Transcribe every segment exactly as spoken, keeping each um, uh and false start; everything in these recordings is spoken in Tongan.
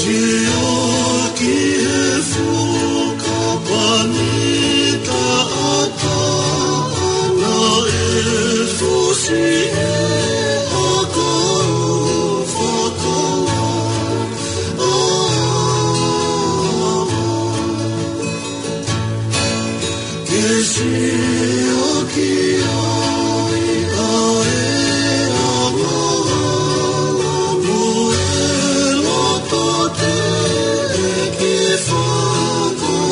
Sio ki he fuka pani taʻataʻa naʻe fusi ʻe he ʻakau fakalaʻā. Ke sio ki ai ʻa e angahala mo e loto teʻeki fakatomala.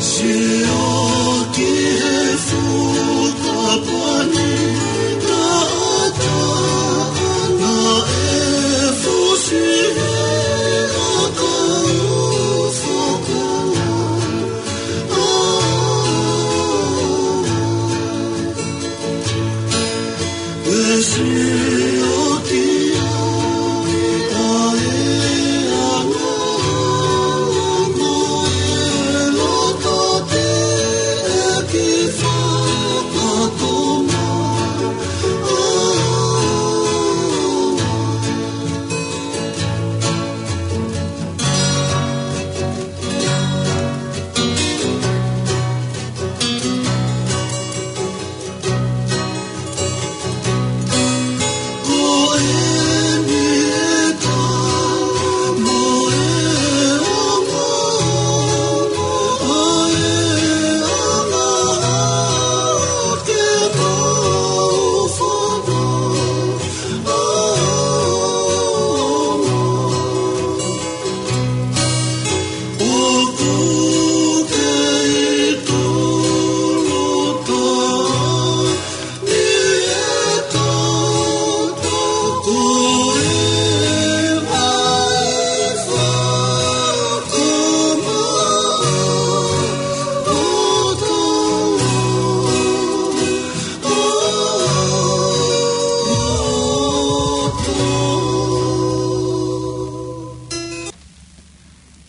Sio ki he fuka pani taʻataʻa naʻe fusi ʻe he ʻakau fakalaʻā.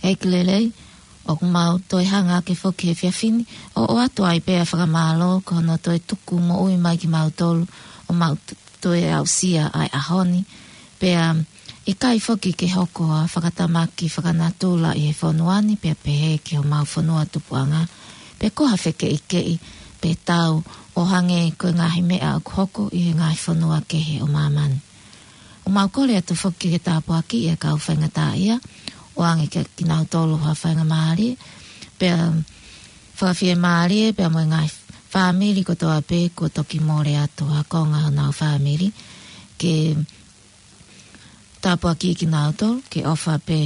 ʻEiki lelei, ʻoku mau toe hanga hake foki he efiafi ni ʻo ʻoatu ai pē ʻa e fakamālō ko hono toe tuku moʻui mai kimautolu ʻo mau t-, toe aʻusia ʻa e ʻaho ni. Pea ʻikai foki ke hoko ha fakatamaki fakanatula ʻi he fonua ni pea pehē ki homau fonua tupuʻanga, pe ko ha fekeʻikeʻi pe tau ʻo hangē ko e ngaahi meʻa ʻoku hoko ʻi he ngaahi fonua kehe ʻo māmani. ʻOku mau kole atu foki ke tāpuakiʻi ʻa e kau faingataʻaʻia, ʻoange kia kinautolu ha faingamālie, pea fakafiemālie, pea mo e ngaahi fāmili kotoa pē kuo toki mole atu ha konga honau fāmili, ke tāpuakiʻi kinautolu, ke ʻofa pē,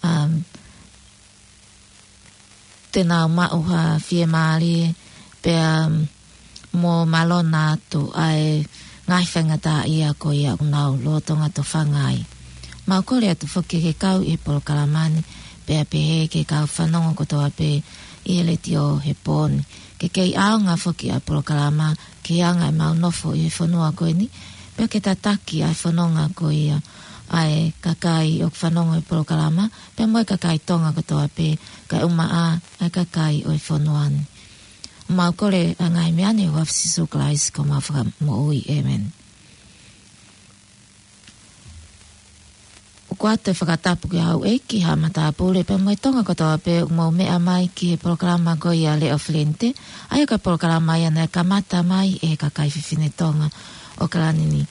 um, te nau maʻu ha fiemālie, pea mo mālō atu ʻa e ngaahi faingataʻaʻia ko ia ʻoku nau lolotonga tofanga ai. Mau kole atu foki ke kau ʻi he polokalama ni, pea pehē ki he kau fanongo kotoa pē ʻi he letiō he pō ni, ke kei ʻaonga foki ʻa e polokalama ki he anga ʻemau nofo ʻi he fonua ko eni, pea ke tataki ʻa e fononga ko ia ʻa e kakai ʻoku fanongo ʻi he polokalama, pea mo e kakai Tonga kotoa pē, kae ʻumaʻā ʻa e kakai ʻo e fonua ni. Mau kole ʻa e ngaahi meʻa ni ʻi he huafa ʻo Sīsū Kalaisi ko homau Fakamoʻui. ʻĒmeni. ʻOku ʻOatu e fakatapu ki he houʻeiki, haʻa matāpule pea mo e Tonga kotoa pē ʻoku mou meʻa mai ki he polokalama ko ia Leʻo Felente, ʻa ia ko e polokalama ia naʻe kamata mai ʻe he kakai fefine Tonga ʻo ʻAokalani ni.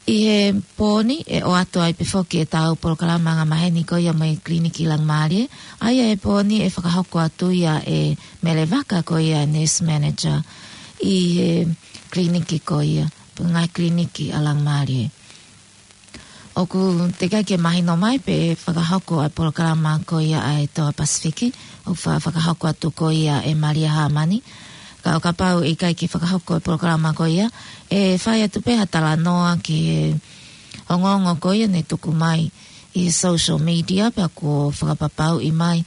ʻI he pō ni ʻe ʻoatu ai pē foki ʻetau polokalama angamaheni ko ia mei he Kiliniki Laumālie, ʻa ia he pō ni ʻe fakahoko atu ia ʻe Mele Vaka ko ia e Nurse Manager ʻi he kiliniki ko ia, pe ngaahi kiliniki ʻa Laumālie. ʻOku teʻeki ke mahino mai pe fakahoko ʻa e polokalama ko ia ʻa e Toa Pasifiki, ʻoku fa-, fakahoko atu ko ia ʻe Malia Hāmani. Ka ʻo kapau ʻe ʻikai ke fakahoko e polokalama ko ia, ʻe fai atu pē ha talanoa ki he ongoongo ko ia naʻe tuku mai ʻi he social media, pea kuo fakapapauʻi mai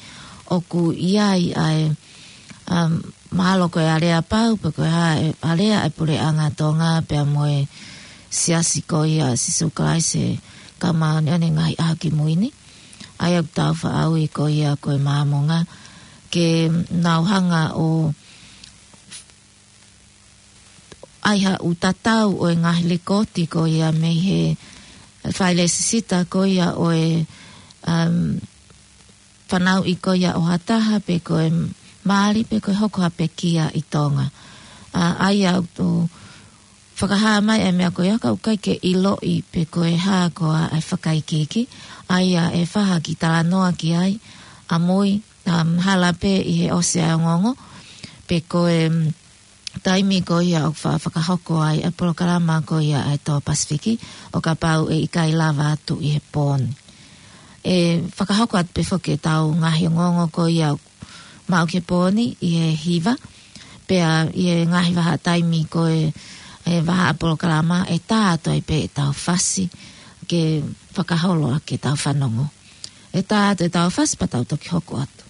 ʻoku ʻi ai ʻa e, um, mahalo ko e alea pau, pe ko e hā e alea e Puleʻanga Tonga, pea mo e Siasi ko ia Sīsū Kalaisi ʻo e Kau Māʻoniʻoni ʻi he Ngaahi ʻAho Kimui Ni. ʻA ia ʻoku tau faʻa ui ko ia ko e Māmonga, ke nau hanga ʻo ʻai haʻu tatau ʻo e ngaahi lekooti ko ia mei he failesisita ko ia ʻo e, um, fanauʻi ko ia ʻo ha taha pe ko e mali pe ko e hoko ha pekia ʻi Tonga. ʻA, ʻa ia ʻoku fakahā mai e meʻa ko ia ka ʻoku ʻikai ke ʻiloʻi pe ko e hā koā e fakaikiiki. ʻA ia ʻe fai ha kiʻi talanoa ki ai ʻamui, um, hala pē ʻi he ʻosi ʻa e ongoongo, pe ko e, um, taimi ko ia ʻoku fa-, fakahoko ai e polokalama ko ia ʻa e Toa Pasifiki, ʻo kapau ʻe ʻikai lava atu ʻi he pō ni. ʻE fakahoko atu pē foki ʻetau ngaahi ongoongo ko ia maʻu ki he pō ni ʻi he hiva, pea ʻi he ngaahi vahaʻa taimi ko e, e vahaʻa polokalama ʻe tā atu ai pē ʻetau fasi ke fakaholo ʻaki ʻetau fanongo. ʻE tā atu ʻetau fasi pea tau toki hoko atu.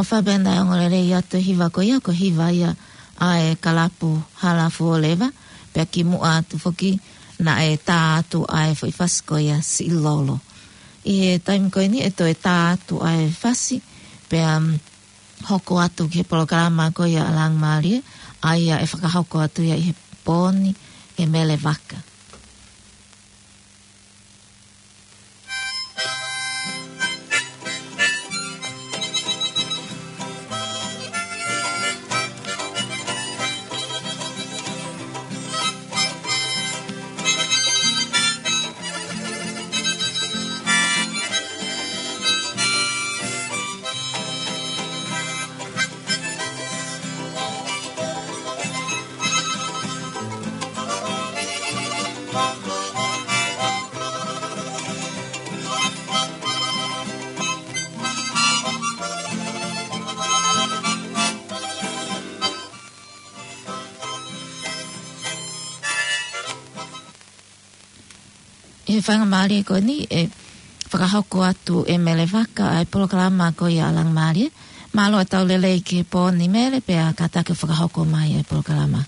Faʻa pē naʻe ongo lelei atu e hiva ko ia, ko e hiva ia ʻa e kalapu Hala Fuoleva, pea kimuʻa atu foki naʻe tā atu ʻa e foʻi fasi ko ia Siʻilolo. ʻI he taimi ko eni ʻe toe tā atu ʻa e fasi, pea, mm, hoko atu ki he polokalama ko ia ʻa Langimālie, ʻa ia ʻe fakahoko atu ia ʻi he pō ni ʻe Mele Vaka. ʻI he faingamālie ko eni ʻe fakahoko atu ʻe Mele Vaka ʻa e polokalama ko ia ʻa Langimālie. Mālō e tau lelei ki he pō ni Mele, pea kātaki fakahoko mai e polokalama.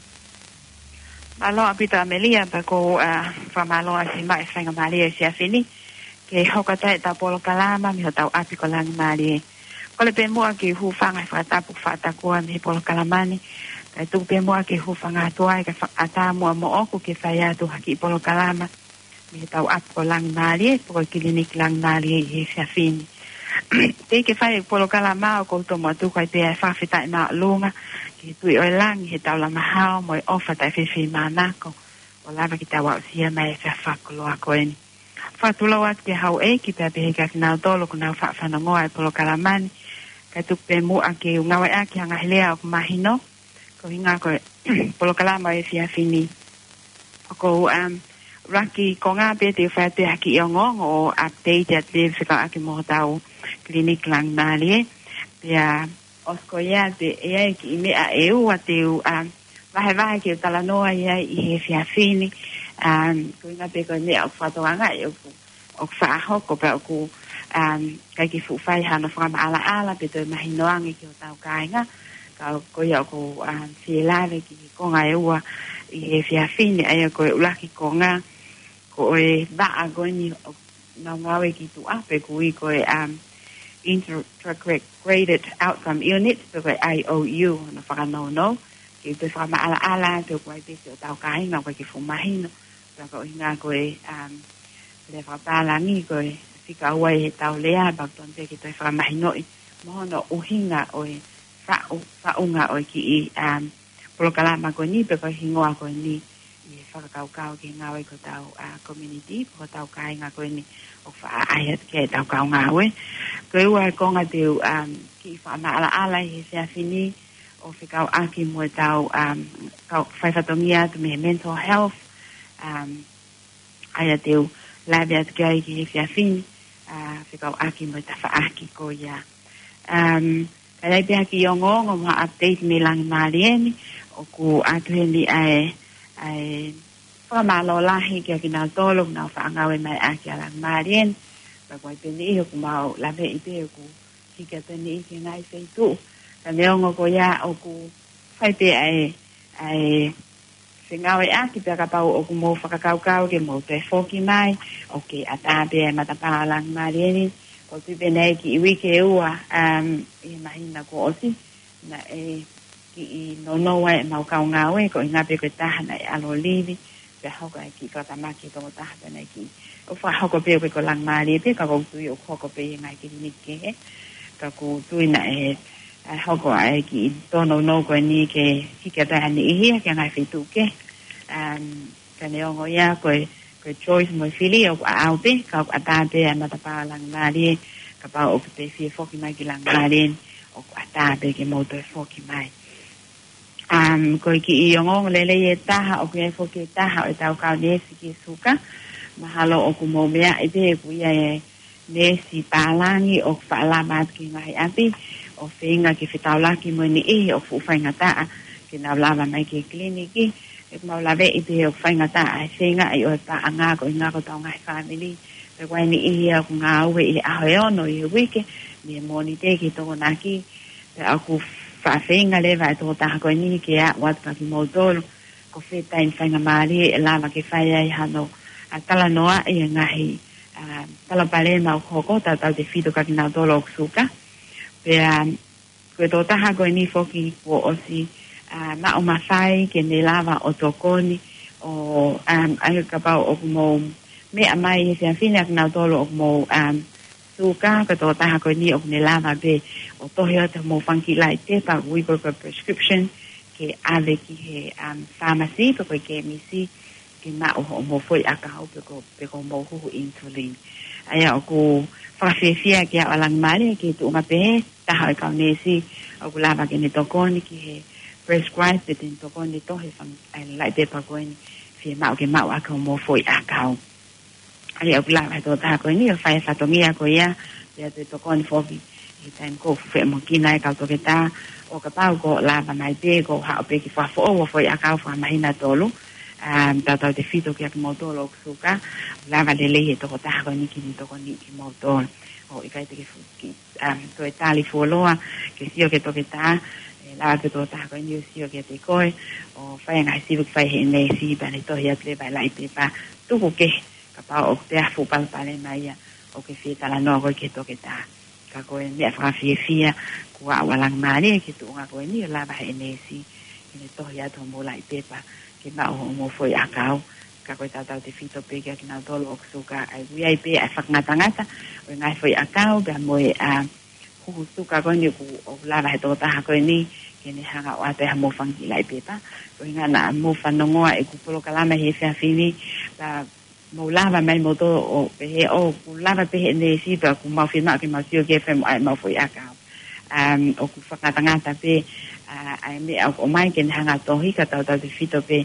Mālō ʻaupito Amelia, pea ʻoku ou, ā, fakamālō ʻa e maʻu e faingamālie he efiafi ni ke hoko atu ai ʻetau polokalama mei hotau ʻapi ko Langimālie. Kole pē muʻa ke u hūfanga he fakatapu fakatapu mei he polokalama ni, kae tuku pē muʻa ke u hūfanga atu ai kae fakaʻatā muʻa moʻoku ke fai atu ha kiʻi polokalama mei hotau ʻapi ko Langimālie, pe ko e Kiliniki Langimālie ʻi he efiafi ni. Teʻeki ke fai e polokalama ʻoku ou tomuʻa tuku ai pē ʻa e fakafetaʻi māʻolunga ki he Tuʻi ʻo e langi he taulama hao mo e ʻofa taʻefefiʻimānako ʻo lava ke tau aʻusia mai e efiafi fakakoloa ko eni. Fakatulou atu ki he houʻeiki pea pehē kia kinautolu ʻoku nau faʻa fanongoa e polokalama ni, kae tuku pē muʻa ke u ngāueʻaki ha ngaahi lea ʻoku mahino, ko e ʻuhinga ko e polokalama ʻo e efiafi ni. ʻOku ou, um, ʻuluaki konga pē te u fai atu ha kiʻi ongoongo ʻo update atu pē fekauʻaki mo hotau Kiliniki Langimālie. Pea ʻosi ko ia te ʻi ai e kiʻi meʻa ʻe ua te u, um, vahevahe ke u talanoa ai ʻi he efiafi ni. Um, ko e ʻuhinga pē ko e meʻa ʻoku fakatokangaʻi ʻoku ʻoku faʻa hoko pea ʻoku, um, ʻikai ke fuʻu fai hano fakamaʻalaʻala pe toe mahino ange ki hotau kāinga. Ka ko ia ʻoku, um, fie lave ki he konga ʻe ua ʻi he efiafi ni, ʻa ia ko e ʻuluaki konga, ko e vaʻa ko eni ʻoku nau ngāue ki tuʻa pē ʻoku ui ko e, um, Integrated Outcome Unit, pe ko e I O U, hono fakanounou. Ke toe fakamaʻalaʻala, pe ʻoku ʻi ai pē siʻotau kāinga ʻoku ʻikai ke fuʻu mahino. Pea ko e ʻuhinga ko e, um, lea fakapālangi ko e fika ua ʻi heʻetau lea, pea ʻoku totonu pē ke toe fakamahinoʻi mo hono ʻuhinga ʻo e faʻu-, faʻunga ʻo e kiʻi, um, polokalama ko eni, pe ko e hingoa ko eni, ʻi he fakakaukau ki he ngāue ki hotau, uh, community, pe ko hotau kāinga ko eni ʻoku faʻa ʻaʻahi atu ki ai ʻetau kau ngāue. Ko e ua e konga te u, um, kiʻi fakamaʻalaʻala ʻi he efiafi ni, ʻo fekauʻaki mo ʻetau, um, kau faifatongia atu mei he mental health, um, ʻa ia te u lave atu ki ai ki he efiafi ni, uh, fekauʻaki mo e tafaʻaki ko ia. Um, ka ʻi ai pē ha kiʻi ongoongo mo ha update mei Langimālie ni, ʻoku ʻoatu heni ʻa e, ʻa e fakamālō lahi kia kinautolu ʻoku nau faʻa ngāue mai ʻaki ʻa Langimālie ni, pea ko e pē niʻihi ʻoku mau laveʻi pē ʻoku hiki atu e niʻihi ki he ngaahi feituʻu. Ka neongo ko ia ʻoku fai pē ʻa e, ʻa e fengāueʻaki pea kapau ʻoku mou fakakaukau ke mou toe foki mai, ʻoku kei ʻatā pē ʻa e matapā ʻo Langimālie ni. ʻOku ou tui pē naʻe ʻi ai e kiʻi uike ʻe ua, um, ʻi he māhina kuo ʻosi, naʻe kiʻi nounou ai ʻemau kau ngāue, ko e ʻuhinga pē ko e taha naʻe ʻalu ʻo livi, pea hoko ai e kiʻi fakatamaki ʻe toko taha pea naʻe kiʻi, ʻo fakahoko pē ʻoku ʻikai ko Langimālie pē, ka ʻoku ou tui ʻoku hoko pē ʻi he ngaahi kiliniki kehe. Ka ʻoku ou tui naʻe, ʻe hoko ai e kiʻi tōnounou ko eni ke hiki atu ai ha niʻihi ia ki he ngaahi feituʻu kehe. Um, ka neongo ia ko e, ko e choice mo e fili ʻoku ʻaʻau pē, ka ʻoku ʻatā pē ʻa e matapā ʻo Langimālie, kapau ʻoku te fie foki mai ki Langimālie, ʻoku ʻatā pē ke mou toe foki mai. Um, ko e kiʻi ongoongo lelei ʻe taha, ʻoku ʻi ai foki e taha ʻo ʻetau kau neesi ki he suka. Mahalo ʻoku mou meaʻi pē ʻoku ʻi ai e neesi pālangi ʻoku faʻa lava atu ki he ngaahi ʻapi, ʻo feinga ke fetaulaki mo e niʻihi ʻoku fuʻu faingataʻa ke nau lava mai ki he kiliniki. ʻOku mau laveʻi pē ʻoku faingataʻa e feingaʻi ʻo e paʻanga ko e ʻuhinga ko ʻetau ngaahi fāmili. Pea ko e niʻihi ia ʻoku ngāue ʻi he ʻaho ʻe ono ʻi he uike, mei he Mōnite ki he Tokonaki. Pea ʻoku faʻa feinga leva e tokotaha ko eni ke aʻu atu kia kimoutolu ko fē taimi faingamālie ʻe lava ke fai ai hano ʻa talanoaʻi e ngaahi ʻa palopalema ʻoku hoko, tautautefito kia kinautolu ʻoku suka. Pea ko e tokotaha ko eni foki kuo ʻosi ʻa maʻu mafai ke ne lava ʻo tokoni ʻo ʻa ʻai kapau ʻoku mou meʻa mai he efiafi ni kia kinautolu ʻoku mou ʻa suka, ko e tokotaha ko eni ʻoku ne lava pē ʻo tohi atu hoʻomou fanga kiʻi laʻi pepa ʻoku ui ko e prescription ke ʻave ki he ʻa pharmacy pe ko e kemisi ke maʻu hoʻomou foʻi ʻakau pe ko pe ko hoʻomou huhu insulin. ʻA ia ʻoku fakafiefia ke aʻu ʻa Langimālie ki he tuʻunga pehē, taha ʻo e kau neesi ʻoku lava ke ne tokoni ki he prescribe pe te ne tokoni tohi e fanga laʻi pepa ko eni fiemaʻu ke maʻu ʻaki hoʻomou foʻi ʻakau. ʻA ia ʻoku lava he tokotaha ko eni ʻo fai e fatongia ko ia, pea toe tokoni foki he taimi ko ē ʻoku feʻamoʻuekina ai e kau toketā, ʻo kapau ʻoku lava mai pē ke haʻu pē ke fakafoʻou hoʻo foʻi ʻakau fakamāhina tolu, ʻa tautautefito kia kimoutolu ʻoku suka, lava lelei he tokotaha ko eni ke ne tokoniʻi kimoutolu. ʻOku ʻikai te ke fu- ki ʻa toe tali fuoloa ke sio ki he toketā, ʻe lava pē e tokotaha ko eni ʻo sio kiate koe ʻo fai e ngaahi sio ʻoku fai he neesi pea ne tohi atu leva e laʻi pepa tuku kehe kapau ʻoku toe fuʻu palopalema ia ʻoku ke fie talanoa koe ki he toketā. Ka ko e meʻa fakafiefia kuo aʻu ʻa Langimālie ki he tuʻunga ko eni ʻo lava he neesi ke ne tohi atu hoʻomou laʻi pepa ke maʻu hoʻomou foʻi ʻakau. Ka ko e tautautefito pē kia kinautolu ʻoku suka, ʻa ia ʻoku ʻi ai pē ʻa e fakangatangata ʻo e ngaahi foʻi ʻakau pea mo e ʻa huhu suka ko eni ʻoku ʻoku lava he tokotaha ko eni ke ne hanga ʻo ʻoatu ʻe haʻamou fanga kiʻi laʻi pepa. Ko e ʻuhinga naʻa mou fanongoa ʻeku polokalama he efiafi ni, pea mou lava mai moutolu ʻo pehē ʻoku lava pē he neesi pea ʻoku mau fiemaʻu ke mau sio ki he femu ʻa ʻemau foʻi ʻakau. ʻA ʻoku fakangatangata pē ʻa ʻa e meʻa ʻoku ʻomai ke ne hanga ʻo tohi, ka tautautefito pē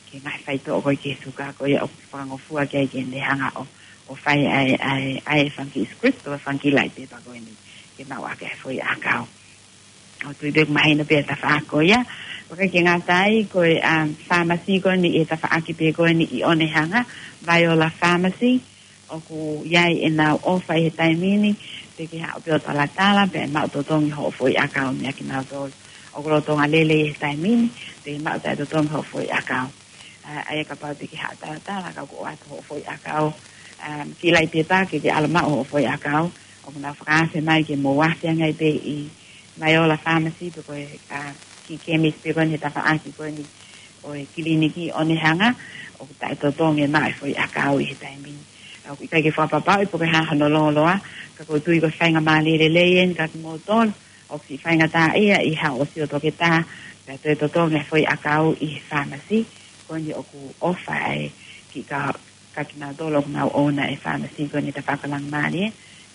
ki he ngaahi faitoʻo ko ē ki he suka ko ia ʻoku fakangofua ki ai ke ne hanga ʻo ʻo fai ʻa e ʻa e ʻa e fanga kiʻi script pe fanga kiʻi laʻi pepa ko eni ke maʻu ʻaki e foʻi ʻakau. ʻOku ou tui pē ʻoku mahino pē e tafaʻaki ko ia. ʻOku ʻikai ke ngata ai, ko e ʻa pharmacy ko eni ʻi he tafaʻaki pē ko eni ʻi ʻOnehunga, Viola Pharmacy, ʻoku ʻi ai ʻenau ʻofa ʻi he taimi ni, te ke haʻu pē ʻo talatala pea ʻe maʻu totongi hoʻo foʻi ʻakau meia kinautolu ʻoku lolotonga lelei he taimi ni, te ke maʻu taʻetotongi hoʻo foʻi ʻakau. ʻA ʻa ia kapau te ke haʻu ʻo talatala ka ʻoku ʻoatu hoʻo foʻi ʻakau, ʻa kiʻi laʻi pepa ke ke ʻalu ʻo maʻu hoʻo foʻi ʻakau, ʻoku nau fakaafe mai ke mou afe ange ai pē ʻi Viola Pharmacy pe ko e ʻa kiʻi kemisi pē ko eni he tafaʻaki ko eni ʻo e kiliniki ʻi ʻOnehunga, ʻoku taʻetotongi e maʻu e foʻi ʻakau ʻi he taimi ni. ʻOku ʻikai ke fakapapauʻi pe ko e hā hono lōloa, ka ʻoku ou tui ko e faingamālie lelei eni kia kimoutolu ʻoku siʻi faingataʻaʻia ʻi haʻo ʻosi ʻo toketā, pea toe totongi e foʻi ʻakau ʻi he pharmacy ko eni ʻoku ʻofa ai ki ka kia kinautolu ʻoku nau ʻouna e pharmacy ko eni he tafaʻaki ʻo Langimālie,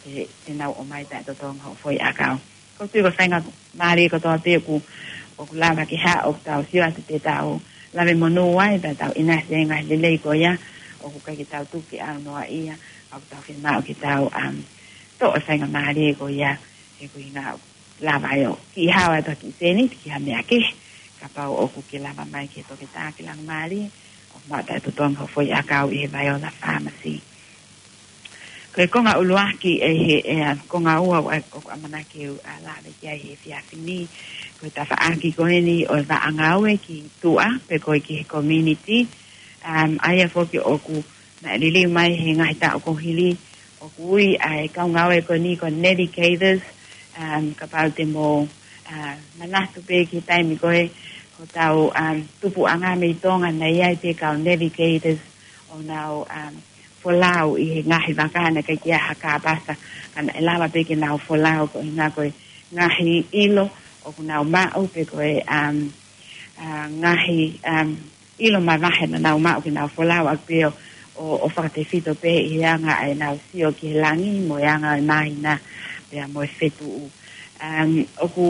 ʻe te nau ʻomai taʻetotongi hoʻo foʻi ʻakau. ʻOku ou tui ko e faingamālie kotoa pē ʻoku ʻoku lava ke haʻu ʻo tau sio atu te tau lave monū ai pea tau ʻinasi ai e ngaahi lelei ko ia, ʻoku ʻikai ke tau tuku ke ʻaunoa ia, ʻoku tau fiemaʻu ke tau ʻa toʻo e faingamālie ko ia, he ko e ʻuhinga ʻoku lava ai ʻo kiʻi hao atu ha kiʻi sēniti ki ha meʻa kehe, kapau ʻoku ke lava mai ki he toketā ki Langimālie ʻo maʻu taʻetotongi hoʻo foʻi ʻakau ʻi he Viola Pharmacy. Ko e konga ʻuluaki ʻe he ʻe ʻa konga ua ʻoku ʻa ʻoku ʻamanaki ke u ʻa lave ki ai he efiafi ni, ko e tafaʻaki ko eni ʻo e vaʻa ngāue ki tuʻa pe ko e ki he community. ʻA ʻa ia foki ʻoku naʻe liliu mai he ngaahi taʻu kuo hili, ʻoku ui ʻa e kau ngāue ko eni ko e navigators, ʻa kapau te mou ʻa manatu pē ki he taimi ko ē hotau ʻa tupuʻanga mei Tonga naʻe ʻi ai pē kau navigators ʻo nau ʻa folau ʻi he ngaahi vaka naʻe ʻikai ke ʻi ai ha kāpasa, ka naʻe lava pē ke nau folau ko e ʻuhinga ko e ngaahi ʻilo ʻoku nau maʻu pe ko e ʻa ʻa ngaahi ʻa ʻilo mavahe naʻa nau maʻu ke nau folau ʻaki pē ʻo ʻo fakatefito pē ʻi he anga ʻa ʻenau sio ki he langi mo e anga ʻo e māhina pea mo e fetuʻu. ʻA ʻoku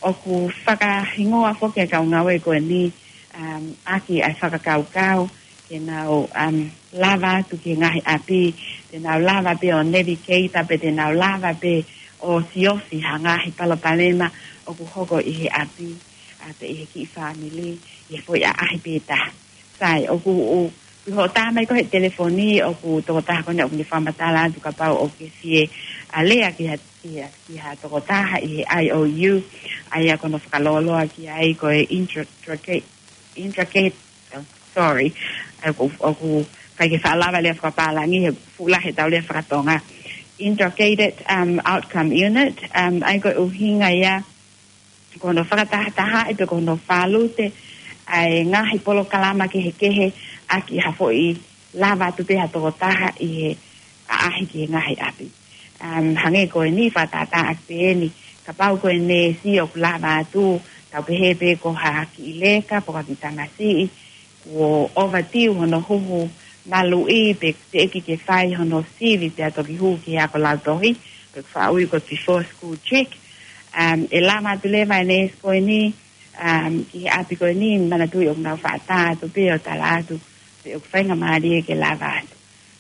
ʻoku fakahingoa foki e kau ngāue ko eni ʻa ʻaki ʻa e fakakaukau ke nau ʻa lava atu ki he ngaahi ʻapi, te nau lava pē ʻo navigate pe te nau lava pē ʻo siofi ha ngaahi palopalema ʻoku hoko ʻi he ʻapi, ʻa pē ʻi he kiʻi fāmili, ʻi he foʻi ʻaʻahi pē taha. Sai, ʻoku ʻu ʻi hoʻo tā mai ko ē he telefoni ʻoku tokotaha ko eni ʻoku ne fakamatala atu kapau ʻoku ke fie ʻa lea ki ha ki ha, ki ha tokotaha ʻi he I O U, ʻa ia ko hono fakalōloa ki ai ko e intracate, intracate, oh, sorry, ʻoku, ʻoku ʻikai ke faʻa lava lea fakapālangi he fuʻu lahi ʻetau lea fakatonga. Intracate, um, outcome unit, um, ʻa ia ko e ʻuhinga ia, ko hono fakatahatahaʻi pe ko hono fālute ʻa e ngaahi polokalama kehekehe ʻaki ha foʻi lava atu pē ha tokotaha ʻi he ʻaʻahi ki he ngaahi ʻapi. Um, hangē ko eni, fakatātā ʻaki pē eni, kapau ko e neesi ʻoku lava atu, tau pehē pē ko ha kiʻi leka, pe ko ha kiʻi tamasiʻi, kuo overdue hono huhu maluʻi pe teʻeki ke fai hono sivi pea toki hū ki he ako lautohi, pe ʻoku faʻa ui ko e before school check. Um, ʻe lava atu leva e neesi ko eni, um, ki he ʻapi ko eni, manatuʻi ʻoku nau faʻa tā atu pē ʻo tala atu pe ʻoku faingamālie ke lava atu.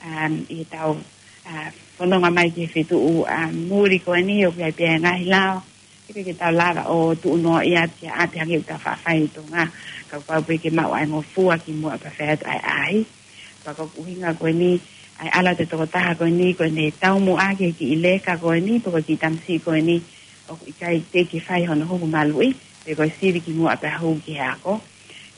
Um, ʻi heʻetau, uh, fononga mai ki he fetuʻu, um, muli ko eni ʻoku ʻi ai pē ʻa e ngaahi lao, ʻikai ke tau lava ʻo tuʻu noaʻia atu ki ha ʻapi hangē ʻoku tau faʻa fai ʻi Tonga, kapau pē ke maʻu ʻa e ngofua kimuʻa pea fai atu ʻa e ʻaʻahi. Pea ko e ʻuhinga ko eni, ʻa e ʻalu atu e tokotaha ko eni, ko ʻene taumuʻa ki he kiʻi leka ko eni, pe ko e kiʻi tamasiʻi ko eni, ʻoku ʻikai teʻeki ke fai hono huhu maluʻi, pe ko e sivi kimuʻa pea hū ki he ako.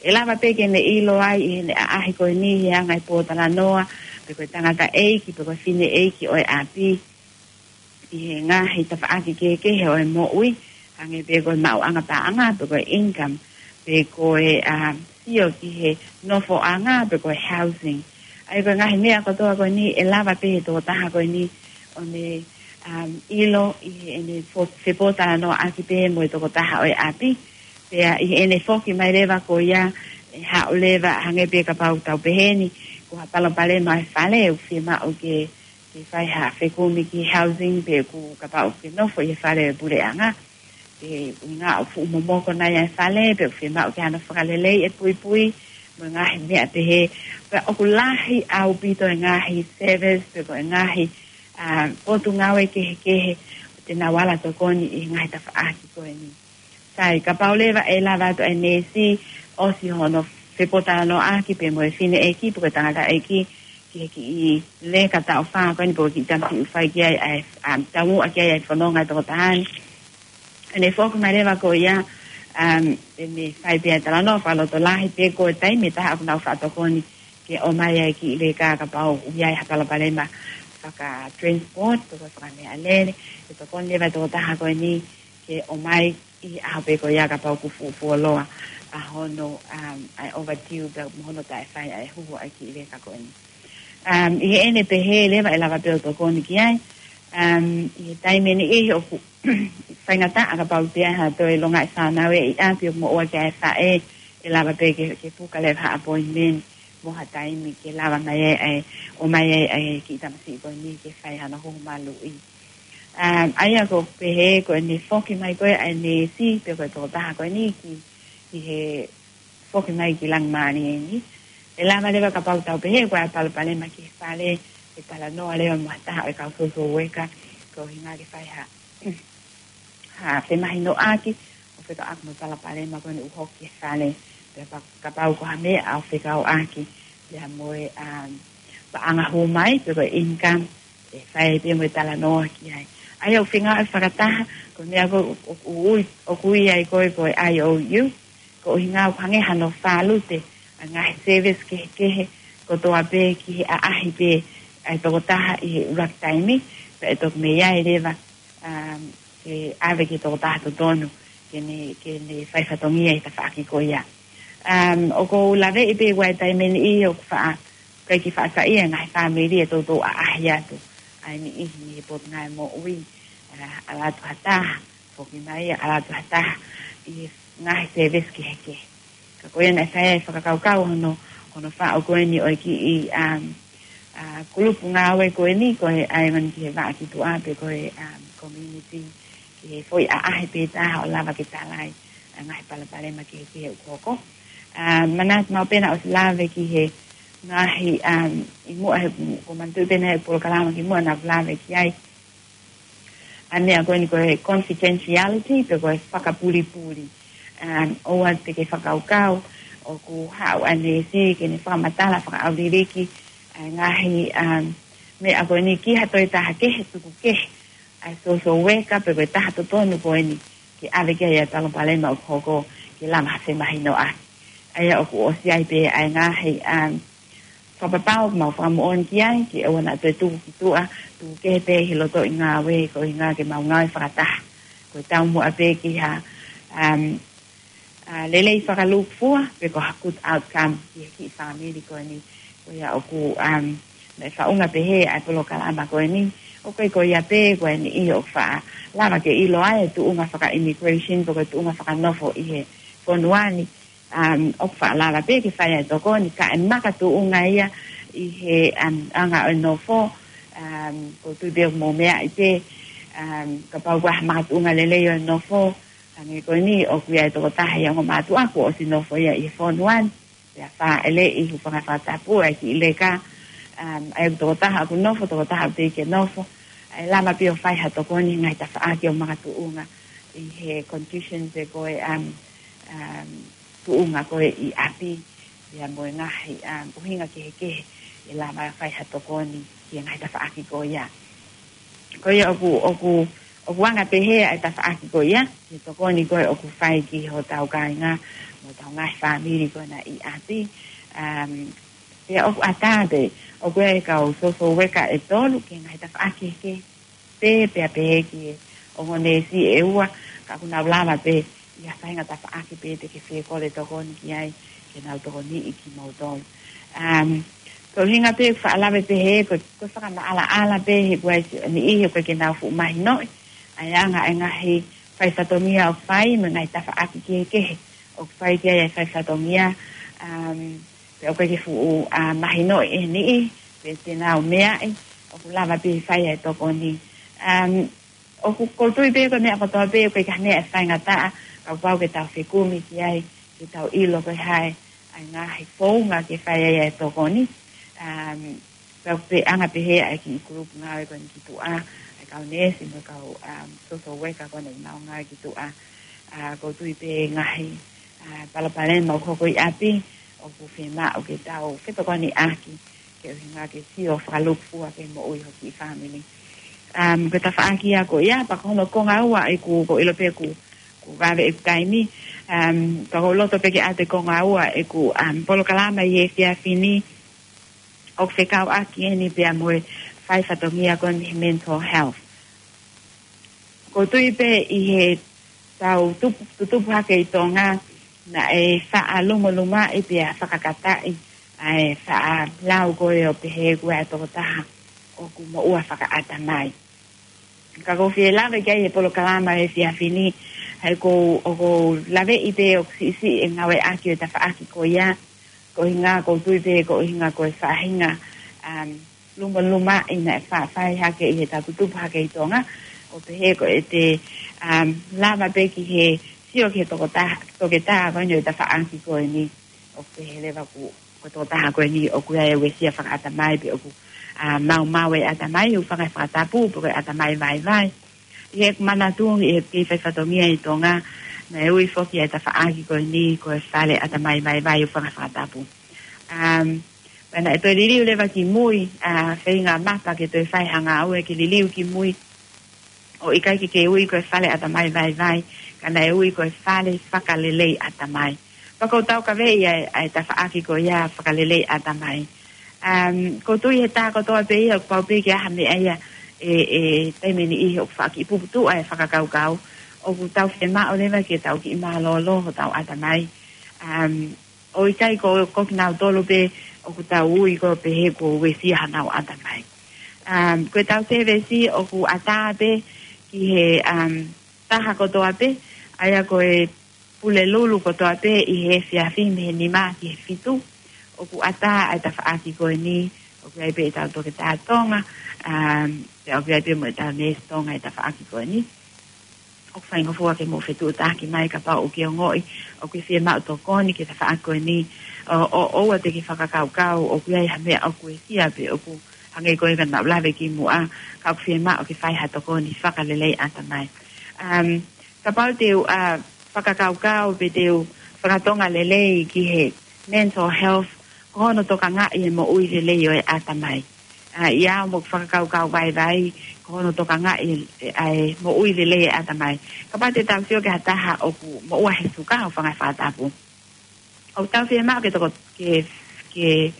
ʻE lava pē ke ne ʻilo ai ʻi heʻene ʻaʻahi ko eni he anga e pōtalanoa, pe ko e tangataʻeiki, pe ko e fineʻeiki ʻo e ʻapi, ʻi he ngaahi tafaʻaki kehekehe ʻo e moʻui, hangē pē ko e maʻuʻanga paʻanga, pe ko e income, pe ko e, um, sio ki he nofoʻanga, pe ko e housing. ʻA ia ko e ngaahi meʻa kotoa ko eni ʻe lava pē he tokotaha ko eni ʻo ne, um, ʻilo ʻi heʻene fo-, fepōtalanoaʻaki pē mo e tokotaha ʻo e ʻapi. Pea ʻi heʻene foki mai leva ko ia, ʻe haʻu leva hangē pē kapau tau pehē ni, ko ha palopalema ʻi he fale, ʻoku fiemaʻu ke, ke fai ha fekumi ki he housing, pe ʻoku kapau ke nofo ʻi he fale ʻo e puleʻanga. Pe ʻuhinga ʻoku fuʻu momoko nai ʻa e fale, pe ʻoku fiemaʻu ke hano fakalelei e puipui, mo e ngaahi meʻa pehē. Pea ʻoku lahi ʻaupito e ngaahi service, pe ko e ngaahi, a, potungāue kehekehe, ʻoku te nau ala tokoni ʻi he ngaahi tafaʻaki ko eni. Sai, kapau leva ʻe lava atu e neesi, ʻosi hono fepōtalanoaʻaki pē mo e fineʻeiki, pe ko e tangataʻeiki, ki he kiʻi leka taʻu fā ko eni pe ko e kiʻi tamasiʻi ʻoku fai ki ai ʻa e, um, taumuʻa ki ai ʻa e fononga ʻa e tokotaha ni. ʻE ne foki mai leva ko ia, um, ʻe ne fai pē ʻa e talanoa fakalotolahi pe ko e taimi ʻe taha ʻoku nau faʻa tokoni ke ʻomai ʻa e kiʻi leka kapau ʻoku ʻi ai ha palopalema faka-transport, pe ko e fakameʻalele, ʻe tokoni leva e tokotaha ko eni ke ʻomai ʻi he ʻaho pē ko ia kapau ʻoku fuʻu fuoloa ʻa hono, um, ʻa e overdue pea mo hono taʻefai ʻa e huhu ʻa e kiʻi leka ko eni. Um, ʻi heʻene pehē leva ʻe lava pē ʻo tokoni ki ai. Um, ʻi he taimi ʻe niʻihi ʻoku faingataʻa kapau ʻe ʻi ai ha toe longaʻi fānau ʻi ʻapi ʻoku moʻua ki ai e faʻē, ʻe lava pē ke, ke puka leva ha appointment mo ha taimi ke lava mai ai ʻa e, ʻomai ai ʻa e kiʻi tamasiʻi ko eni ke fai hano huhu maluʻi. Um, ʻa ia ʻoku pehē ko ʻene foki mai ko ē ʻa e neesi pe ko e tokotaha ko eni ki, ki he foki mai ki Langimālie ni. ʻE lava leva kapau tau pehē ko e palopalema ki he fale, ʻe talanoa leva mo ha taha ʻo e kau social worker, ko e ʻuhinga ke fai ha, ha femahinoʻaki, ʻo fekauʻaki mo e palopalema ko eni ʻoku hoko ki he fale, pea pa-, kapau ko ha meʻa ʻoku fekauʻaki, pea mo e, um, paʻanga hū mai, pe ko e income, ʻe fai pē mo e talanoa ki ai. ʻA ia ʻoku feinga ʻo fakataha, ko e meʻa ko ē ʻoku ui, ʻoku ui ai ko ē ko e I O U, ko e ʻuhinga ʻoku hangē hano fālute ʻa e ngaahi service kehekehe kotoa pē ki he ʻaʻahi pē ʻa e tokotaha ʻi he ʻuluaki taimi, pea ʻe toki mei ai leva, um, ke ʻave ki he tokotaha totonu, ke ne, ke ne fai fatongia ʻi he tafaʻaki ko ia. Um, ʻoku ou laveʻi pē ʻi he taimi ni ʻoku faʻa, ʻikai ke faʻa saiʻia e ngaahi fāmili ʻe toutou ʻaʻahi atu ai niʻihi mei he Potungāue Moʻui, uh, ʻalu atu ha taha, foki mai, ʻalu atu ha taha, ʻi he ngaahi service kehekehe. Ka ko ia naʻe fai ai e fakakaukau hono, hono faʻu ko eni ʻo e kiʻi, um, uh, kulupu ngāue ko eni, ko e ʻaimani ki he vaʻa ki tuʻa pe ko e, um, community, ki he foʻi ʻaʻahi pē taha ʻo lava ke talaʻi ʻa e ngaahi palopalema kehekehe ʻoku hoko. Um, manatu maʻu pē naʻe ʻosi lave ki he ngaahi, um, ʻi muʻa he, ʻoku ou manatuʻi pē naʻe ʻi ai e polokalama kimuʻa naʻe lave ki ai. ʻA e meʻa ko eni ko e confidentiality, pe ko e fakapulipuli. Um, ʻoua te ke fakakaukau ʻoku haʻu ʻa e neesi ke ne fakamatala fakaʻauliliki ʻa e ngaahi, um, meʻa ko eni ki ha toe taha kehe, tuku kehe. ʻa e social worker pe ko e taha totonu ko eni ke ʻave ki ai ʻa e palopalema ʻoku hoko ke lava ha femahinoʻaki. ʻA ia ʻoku ʻosi ʻi ai pē ʻa e ngaahi, um, fakapapau ʻoku mau fakamoʻoni ki ai, ke ʻoua naʻa toe tuku ki tuʻa, tuku kehe pē ʻi he lotoʻi ngāue, koeʻuhinga ke mau ngāue fakataha. Ko e taumuʻa pē ki ha, um, ʻa, lelei fakalūkufua, pe ko ha good outcome ki he kiʻi fāmili ko eni. Ko ia ʻoku, um, meʻa faʻunga pehē ʻa e polokalama ko eni. ʻOku ʻikai ko ia pē ko e niʻihi ʻoku faʻa lava ke ʻilo ai e tuʻunga faka-immigration, pe ko e tuʻunga fakanofo ʻi he fonua ni. Um, ʻoku faʻa lava pē ke fai ʻa e tokoni, ka ʻe makatuʻunga ia ʻi he, um, anga ʻo e nofo, um, ʻoku ou tui pē ʻoku mou meaʻi pē, um, kapau ʻoku ʻi ai ha makatuʻunga lelei ʻo e nofo, hangē ko eni, ʻoku ʻi ai e tokotaha ʻi he ongo mātuʻa kuo ʻosi nofo ia ʻi he fonua ni, pea fāʻeleʻi, hūfanga he fakatapu, ʻa e kiʻi leka, um, ʻa e tokotaha ʻoku nofo, tokotaha ʻoku teʻeki ke nofo, ʻe lava pē ʻo fai ha tokoni he ngaahi tafaʻaki ʻoku makatuʻunga ʻi he condition pe ko e, um, um, tuʻunga ko ē ʻi ʻapi, ia mo e ngaahi, um, ʻuhinga kehekehe, ʻe lava ʻo fai ha tokoni ki he ngaahi tafaʻaki ko ia. Ko ia ʻoku, ʻoku, ʻoku anga pehē ʻa e tafaʻaki ko ia, ʻi he tokoni ko ē ʻoku fai ki hotau kāinga, mo hotau ngaahi fāmili ko ena ʻi ʻapi. Um, pea ʻoku ʻatā pē, ʻoku ʻi ai e kau social worker ʻe tolu, ki he ngaahi tafaʻaki kehekehe, pē, pea pehē ki he ongo neesi ʻe ua, ka ʻoku nau lava pē ʻi ha faʻahinga tafaʻaki pē te ke fie kole tokoni ki ai, ke nau tokoniʻi kimoutolu. Um, ko e ʻuhinga pē ʻoku faʻa lave pehē, ko, ko e fakamaʻalaʻala pē he kuo ʻi ai e niʻihi ʻoku ʻikai ke nau fuʻu mahinoʻi ʻa e anga ʻa e ngaahi faifatongia ʻoku fai, mo e ngaahi tafaʻaki kehekehe ʻoku fai ki ai ʻa e faifatongia, um, pea ʻoku ʻikai ke fuʻu, ʻa, mahinoʻi ʻe he niʻihi, pe te nau meaʻi, ʻoku lava pē ʻo fai ʻa e tokoni. Um, ʻoku, ʻoku ou tui pē ko e meʻa kotoa pē, ʻoku ʻikai ha meʻa ʻe faingataʻa, kapau ke tau fekumi ki ai, ke tau ʻilo ko e hā ʻa e ngaahi founga ke fai ai ʻa e tokoni. Um, pea ʻoku anga pehē ʻa e kiʻi group ngāue ko eni ki tuʻa, ʻa e kau neesi mo e kau, um, social worker ko eni ʻoku nau ngāue ki tuʻa. ʻA, ʻoku ou tui pē ngaahi, ʻa, palopalema ʻoku hoko ʻi ʻapi, ʻoku fiemaʻu ke tau fetokoniʻaki, ke ʻuhinga ke sio fakalūkufua ki he moʻui ho kiʻi fāmili. Um, ko e tafaʻaki ia ko ia, pea ko hono konga ua ʻeku, ʻoku ou ʻilo pē ʻoku, ʻoku vave ʻeku taimi. Um, pea ʻoku ou loto pē ke ʻoatu e konga ua ʻeku, um, polokalama ʻi he efiafi ni, ʻoku fekauʻaki eni pea mo e faifatongia ko eni he mental health. ʻOku ou tui pē ʻi heʻetau tupu, tutupu hake ʻi Tonga, naʻe faʻa lumolumaʻi pea fakakataʻi ʻa e faʻa lau ko ē ʻo pehē ʻoku ʻi ai e tokotaha ʻoku moʻua fakaʻatamai. Ka ʻoku ou fie lave ki ai he polokalama he efiafi ni, he ʻoku ou, ʻoku ou laveʻi pē ʻoku siʻisiʻi e ngāueʻaki ʻo e tafaʻaki ko ia, koeʻuhinga ʻoku ou tui pē koeʻuhinga ko e faʻahinga, um, lumolumaʻi naʻe faʻa fai hake ʻi heʻetau tutupu hake ʻi Tonga, ʻo pehē ko ʻete, um, lava pē ki he sio ki he tokotaha, toketā ko eni ʻo e tafaʻaki ko eni, ʻo pehē leva ʻoku, ko e tokotaha ko eni ʻoku ʻi ai e uesia fakaʻatamai pe ʻoku, ʻa, maumau e ʻatamai, hūfanga he fakatapu, pe ko e ʻatamai vaivai. ʻI heʻeku manatu, ʻi he kei faifatongia ʻi Tonga, naʻe ui foki ʻa e tafaʻaki ko eni ko e fale ʻatamai vaivai, hūfanga he fakatapu. Um, pea naʻe toe liliu leva ki mui, ʻa, feinga mapa ke toe fai ha ngāue ke liliu ki mui, ʻo ʻikai ke ke ui ko e fale ʻatamai vaivai, ka naʻe ui ko e fale fakalelei ʻatamai. Pea ʻoku ou taukaveʻi ʻa e, ʻa e tafaʻaki ko ia fakalelei ʻatamai. Um, ʻoku ou tui he taha kotoa pē ia ʻoku pau pē ke ʻi ai ha meʻa ia ʻe, ʻe taimi ʻe niʻihi ʻoku faʻa kiʻi puputuʻu ʻa e fakakaukau, ʻoku tau fiemaʻu leva ke tau kiʻi mālōlō hotau ʻatamai. Um, ʻo ʻikai ko, ko kinautolu pē ʻoku tau ui ko e pehē kuo uesia honau ʻatamai. Um, ko ʻetau sēvesi ʻoku ʻatā pē ki he, um, taha kotoa pē, ʻa ia ko e Pulelulu kotoa pē ʻi he efiafi mei he nima ki he fitu. ʻOku ʻatā ʻa e tafaʻaki ko eni, ʻoku ʻi ai pē ʻetau toketā Tonga, um, pea ʻoku ʻi ai pē mo ʻetau neesi Tonga ʻi he tafaʻaki ko eni. ʻOku faingofua ke mou fetuʻutaki mai kapau ʻoku ke ongoʻi ʻoku ke fiemaʻu tokoni ki he tafaʻaki ko eni, ʻo, ʻo, ʻoua te ke fakakaukau ʻoku ʻi ai ha meʻa ʻoku uesia pe ʻoku hangē ko ia naʻa ku lave ki muʻa, ka ʻoku fiemaʻu ke fai ha tokoni fakalelei ʻatamai. Um, kapau te u, ʻa, fakakaukau pe te u fakatonga lelei ki he mental health, ko hono tokangaʻi e moʻui lelei ʻo e ʻatamai. ʻa, ʻi ai mo e fakakaukau vaivai, ko hono tokangaʻi ʻa e moʻui lelei ʻa e ʻatamai. Kapau te tau sio ki ha taha ʻoku moʻua he suka ʻo fanga fakatapu. ʻOku tau fiemaʻu ke toko, ke, ke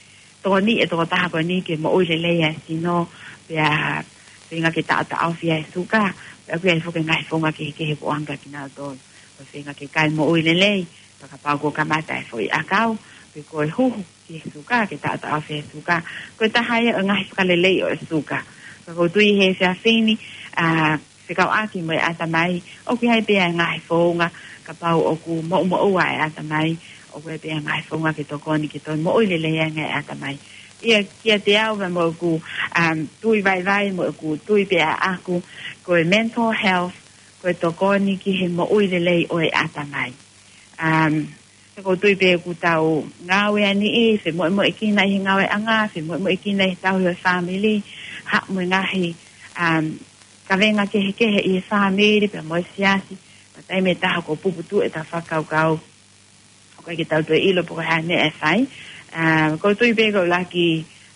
tokoni e tokotaha ko eni ke moʻui lelei ʻa e sino, pea feinga ke taʻotaʻofi ʻa e suka, pea ʻoku ʻi ai foki e ngaahi founga kehekehe ʻoku ʻoange kia kinautolu. Ko e feinga ke kai moʻui lelei, pea kapau kuo kamata e foʻi ʻakau, pe ko e huhu ki he suka, ke taʻotaʻofi e suka. Ko e taha ia ʻo e ngaahi fakalelei ʻo e suka. Ka ʻoku ou tui he efiafi ni, ʻa, fekauʻaki mo e ʻatamai, ʻoku ʻi ai pē ʻa e ngaahi founga, kapau ʻoku moʻumoʻua e ʻatamai, ʻoku ʻi ai pē ʻa e ngaahi founga ke tokoni ke toe moʻui lelei ange e ʻatamai. ʻIa, kiate au, mo ʻeku, um, tui vaivai, mo ʻeku tui pē ʻaʻaku, ko e mental health, ko e tokoni ki he moʻui lelei ʻo e ʻatamai. Um, ʻoku ou tui pē ʻoku tau ngāue ʻa niʻihi, femoʻumoʻuekina ʻi he ngāueʻanga, femoʻumoʻuekina ʻi he tauhi ʻo e fāmili, haʻu mo e ngaahi, um, kavenga kehekehe ʻi he fāmili, pea mo e siasi, pea taimi ʻe taha ʻoku puputuʻu ʻetau fakakaukau, ʻoku ʻikai ke tau toe ʻilo pe ko e hā e meʻa ʻe fai. Um, ʻoku ou tui pē ʻoku ʻuluaki,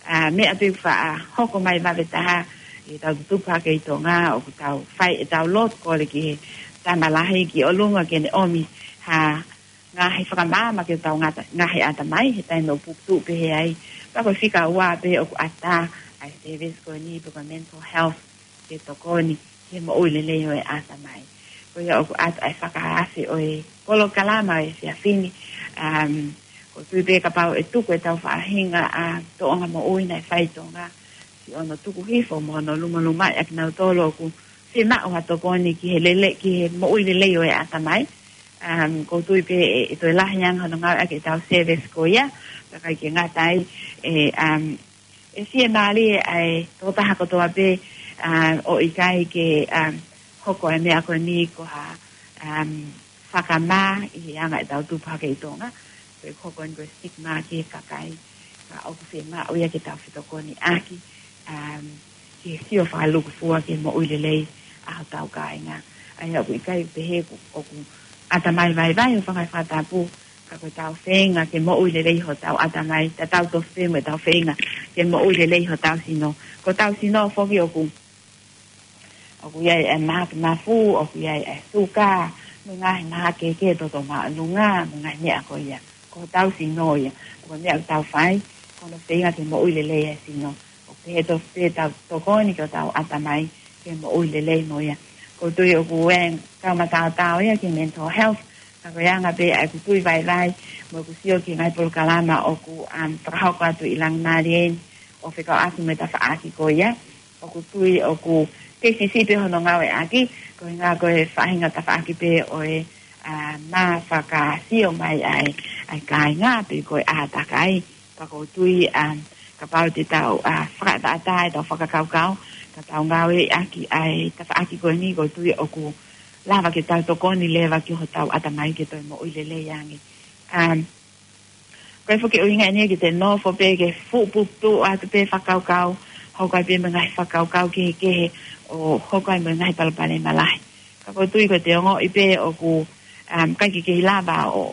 ʻa, meʻa pē ʻoku faʻa hoko mai vave taha, ʻi heʻetau tutupu hake ʻi Tonga, ʻoku tau fai ʻetau lotu kole ki he Tama Lahi ki ʻolunga ke ne ʻomi ha ngaahi fakamaama ki hotau ngata-, ngaahi ʻatamai, he taimi ʻoku puputuʻu pehē ai. Pea ko e fika ua pē ʻoku ʻatā ʻa e service ko eni pe ko e mental health ke tokoni ki he moʻui lelei ʻo e ʻatamai. Ko ia ʻoku ʻatā ʻa e fakaafe ʻo e polokalama ʻo e efiafi ni, um, ʻoku ou tui pē kapau ʻe tuku ʻetau faʻahinga ʻa e tōʻonga moʻui naʻe fai ʻi Tonga, siʻono tuku hifo mo hono lumalumaʻi ʻa kinautolu ʻoku fiemaʻu ha tokoni ki he lele, ki he moʻui lelei ʻo e ʻatamai. Um, ʻoku ou tui pē ʻe, ʻe toe lahi ange hono ngāueʻaki ʻetau service ko ia, pea ʻikai ke ngata ai, ʻe, um, ʻe fiemālie ʻa e tokotaha kotoa pē, um, ʻo ʻikai ke, um, hoko e meʻa ko eni ko ha, um, fakamā ʻi he anga ʻetau tupu hake ʻi Tonga. Ko e hoko eni ko e stigma ki he kakai, ka ʻoku fiemaʻu ia ke tau fetokoniʻaki, um, ke sio fakalūkufua ki he moʻui lelei ʻa hotau kāinga. ʻA ia ʻoku ʻikai pehē ʻoku, ʻoku ʻatamai vaivai ʻo e fanga fakatapu, ka ko ʻetau feinga ke moʻui lelei hotau ʻatamai, tatau tofu pē mo ʻetau feinga ke moʻui lelei hotau sino. Ko hotau sino foki ʻoku, ʻoku ʻi ai e mahaki mafu, ʻoku ʻi ai e suka, mo e ngaahi mahaki kehekehe, toto māʻolunga, mo e ngaahi meʻa ko ia. Ko hotau sino ia, ko e meʻa ʻoku tau fai, ko hono feinga ke moʻui lelei e sino. ʻOku pehē tofu pē ʻetau tokoni ki hotau ʻatamai ke moʻui lelei mo ia. ʻOku ou tui ʻoku ʻi ai e kau mataotao ia ki he mental health, ka ko e anga pē ʻa ʻeku tui vaivai, mo ʻeku sio ki he ngaahi polokalama ʻoku, um, fakahoko atu ʻi Langimalie ni, ʻo fekauʻaki mo e tafaʻaki ko ia. ʻOku ou tui ʻoku kei siʻisiʻi pē hono ngāueʻaki, ko e ʻuhinga ko e faʻahinga tafaʻaki pē ʻo e, ʻa, mā fakasio mai ʻa e, ʻa e kāinga pe ko e ʻātakai. Ka ʻoku ou tui, um, kapau te tau, ʻa, fakaʻataʻatā ʻetau fakakaukau, ka tau ngāueʻaki ʻa e tafaʻaki ko eni, ʻoku ou tui ʻoku lava ke tau tokoni leva ki hotau ʻatamai ke toe moʻui lelei ange. Um, ko e foki ʻuhinga eni ke te nofo pē ke fuʻu puputuʻu atu pē fakakaukau, hoko ai pē mo e ngaahi fakakaukau kehekehe, ʻo hoko ai mo e ngaahi palopalema lahi. Ka ʻoku ou tui ko e te ongoʻi pē ʻoku, um, ʻikai ke kei lava ʻo,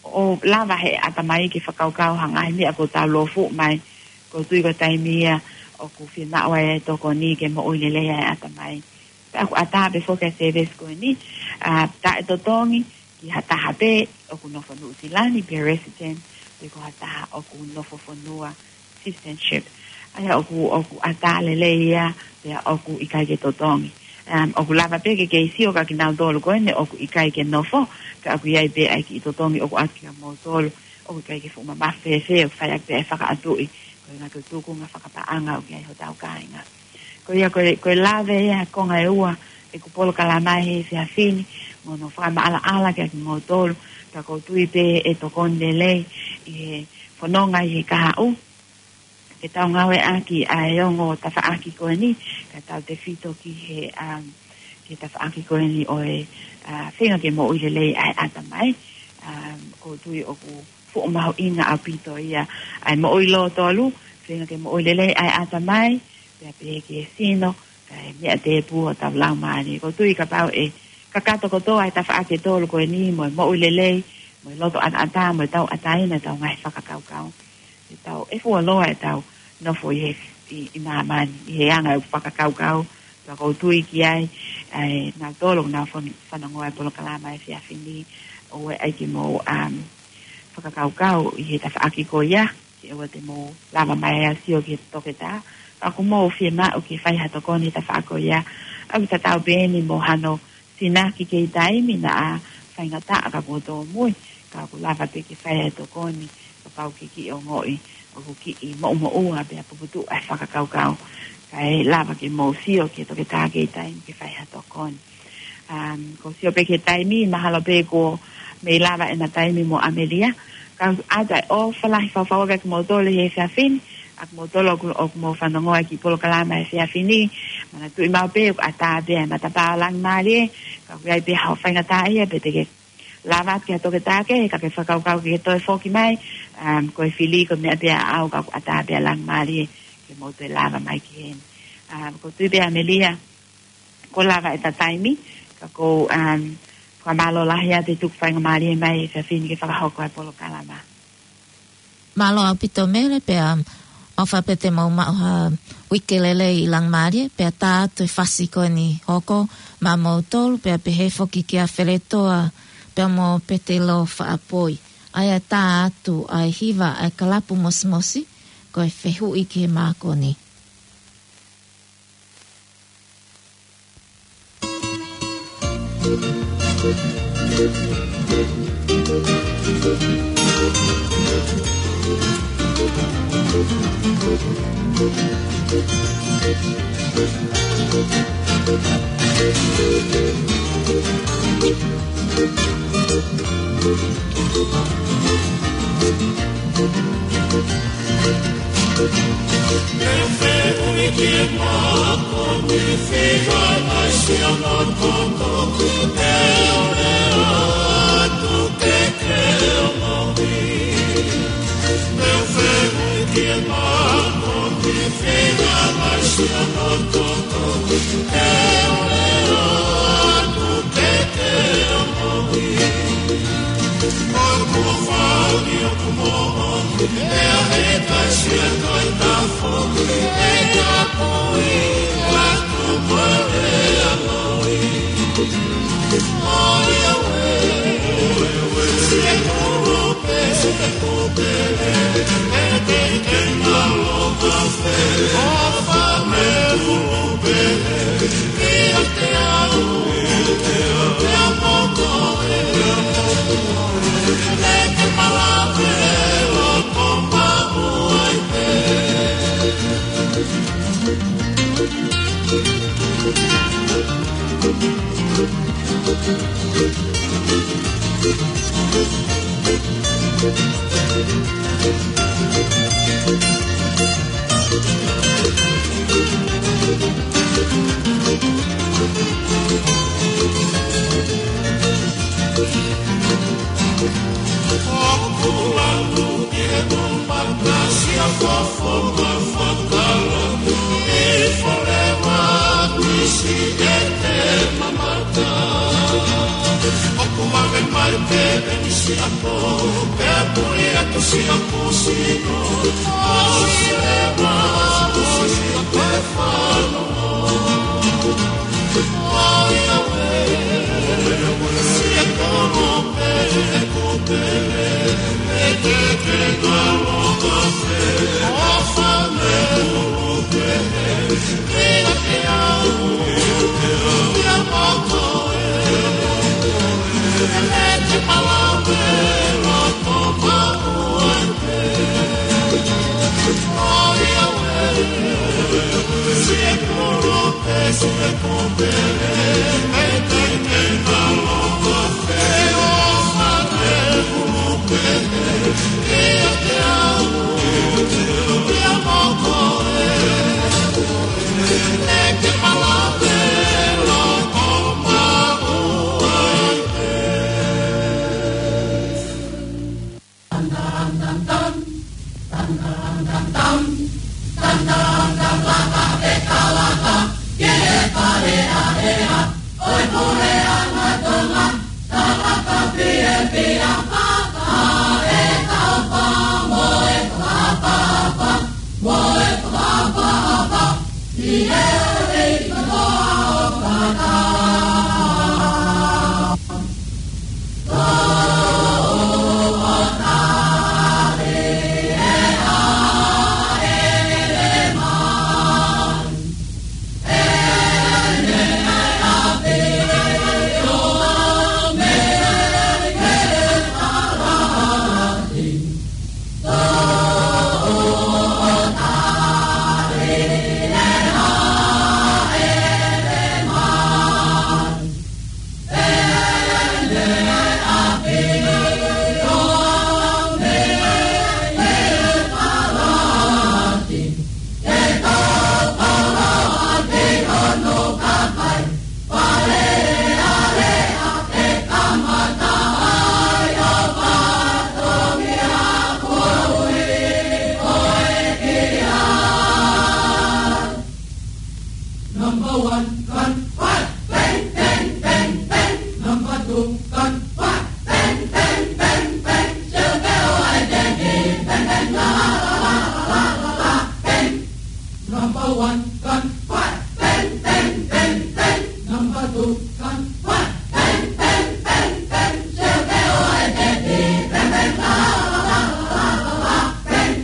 ʻo lava he ʻatamai ke fakakaukau ha ngaahi meʻa ʻoku tau lōfuʻu mai. ʻOku ou tui ko e taimi ia ʻoku fiemaʻu ai e tokoni ke moʻui lelei ai e ʻatamai. Pea ʻoku ʻatā pē foki e service ko eni, ʻa, taʻetotongi ki ha taha pē ʻoku nofo Nuʻusila ni pe resident, pe ko ha taha ʻoku nofo fonua citizenship. ʻA ia ʻoku, ʻoku ʻatā lelei ia, pea ʻoku ʻikai ke totongi. Um, ʻoku lava pē ke kei sio kia kinautolu ko eni ʻoku ʻikai ke nofo, ka ʻoku ʻi ai pē ʻa e kiʻi totongi ʻoku ʻoatu kia moutolu, ʻoku ʻikai ke fuʻu mamafa fēfē, ʻoku fai ʻaki pē ʻa e fakaʻatuʻi, ko e ngaahi tuʻutuʻuni fakapaʻanga ʻoku ʻi ai hotau kāinga. Ko ia ko e, ko e lave ia, konga ʻe ua ʻeku polokalama he efiafi ni, mo hono fakamaʻalaʻala kia kimoutolu, ka ʻoku ou tui pē ʻe tokoni lelei ʻi he fononga ʻi he kahaʻu, ke tau ngāueʻaki ʻa e ongo tafaʻaki ko eni, ka tau tefito ki he, um, ki he tafaʻaki ko eni ʻo e, ʻa, feinga ke moʻui lelei ʻa e ʻatamai. Um, ʻoku ou tui ʻoku fuʻu mahuʻinga ʻaupito ia ʻa e moʻui lōtolu, feinga ke moʻui lelei ʻa e ʻatamai, pea pehē ki he sino, kae meʻa tēpū hotau laumālie. ʻOku ou tui kapau ʻe kakato kotoa e tafaʻaki ʻe tolu ko eni, mo e moʻui lelei, mo e loto ʻataʻatā, mo e tauʻatāina ʻetau ngaahi fakakaukau, ʻe tau, ʻe fuoloa ʻetau nofo ʻi he ʻi, ʻi māmani, ʻi he anga ʻeku fakakaukau, pea ʻoku ou tui ki ai, ʻa e nautolu ʻoku nau fan-, fanongoa e polokalama he efiafi ni, ʻoua ʻe ʻai ke mou, um, fakakaukau ʻi he tafaʻaki ko ia, ke ʻoua te mou lava mai ʻo sio ki he toketā, ka ʻoku mou fiemaʻu ke fai ha tokoni he tafaʻaki ko ia, ʻoku tatau pē eni mo hano tinaki kei taimi naʻa faingataʻa ka kuo tōmui, ka ʻoku lava pē ke fai e tokoni, kapau ʻoku kiʻi ongoʻi ʻoku kiʻi moʻumoʻua pea puputuʻu ʻa e fakakaukau, kae lava ke mou sio ki he toketā kei taimi ke fai ha tokoni. Um, ʻoku ou sio pē ki he taimi, mahalo pē kuo mei lava ʻena taimi mo ʻAmelia, ka ʻoku ʻoatu e ʻofa lahi fakafaifekau kiate kimoutolu he efiafi ni, ʻa kimoutolu ʻoku, ʻoku mou fanongoa e kiʻi polokalama he efiafi ni, manatuʻi maʻu pē ʻoku ʻatā pē ʻa e matapā ʻo Langimalie, ka ʻoku ʻi ai pē haʻo faingataʻaʻia pe te ke lava atu ki ha toketā kehe, ka ke fakakaukau ke toe foki mai, um, ko e fili ko e meʻa pē ʻaʻau ka ʻoku ʻatā pē ʻa Langimalie ke mou toe lava mai ki heni. Um, ʻoku ou tui pē ʻAmelia, kuo lava ʻeta taimi, ka ʻoku ou, um, fakamālō lahi atu e tuku faingamālie mai he efiafi ni ke fakahoko e polokalama. Mālō ʻaupito Mele, pea ʻofa pē te mou maʻu ha uike lelei ʻi Langimalie, pea tā atu e fasi ko eni hoko maʻamoutolu, pea pehē foki kia Feletoa, pea mo Petelo Faʻapoi. ʻA ia tā atu ʻa e hiva ʻa e Kalapu Mosimosi, ko e Fehuʻi ki he Mākoni. Number one, gun, fire! Bang, bang, bang, bang! Number two, gun, fire! Bang, bang, bang, bang! Shoot the light and bang, bang, la, la, la, la, la, la, la, bang! Number one, gun, fire! Bang, bang, bang, bang! Number two, gun, fire! Bang, bang, bang, bang! Shoot the light and bang, bang, la, la, la, la, la, la, la, bang!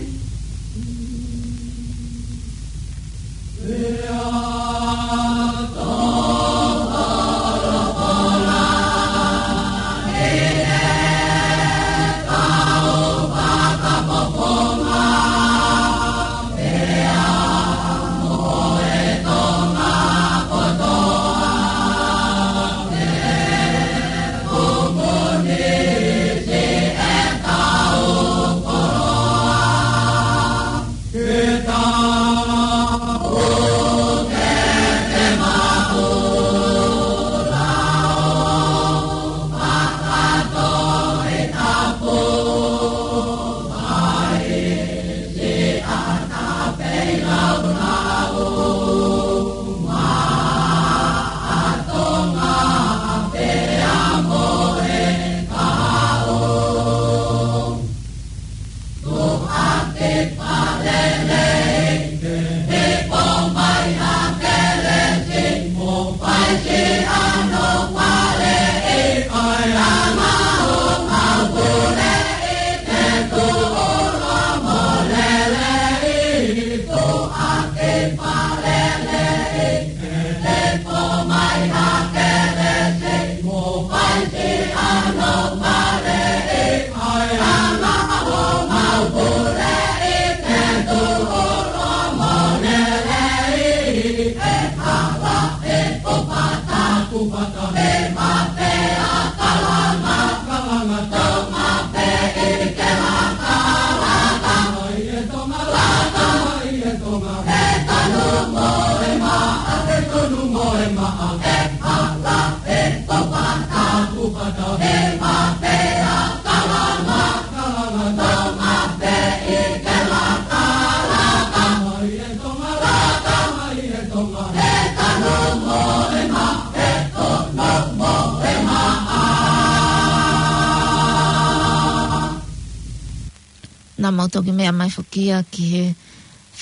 Naʻa mau toki meʻa mai foki ia ki he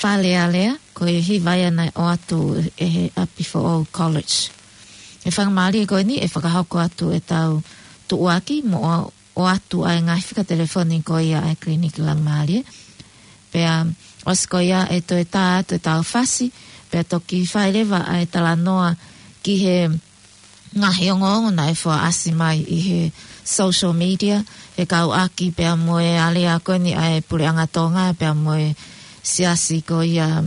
Fale Alea, ko e hiva ia naʻe ʻoatu ʻe he ʻapi foʻou College. ʻE fakamālie ko eni, ʻe fakahoko atu ʻetau tuʻuaki mo ʻo, ʻoatu ʻa e ngaahi fika telefoni ko ia ʻa e Clinic Laumālie. Pea ʻosi ko ia ʻe toe tā atu ʻetau fasi, pea toki fai leva ʻa e talanoa ki he ngaahi ongoongo naʻe fakaʻasi mai ʻi he social media, fekauʻaki pea mo e alea ko eni ʻa e Puleʻanga Tonga, pea mo e siasi ko ia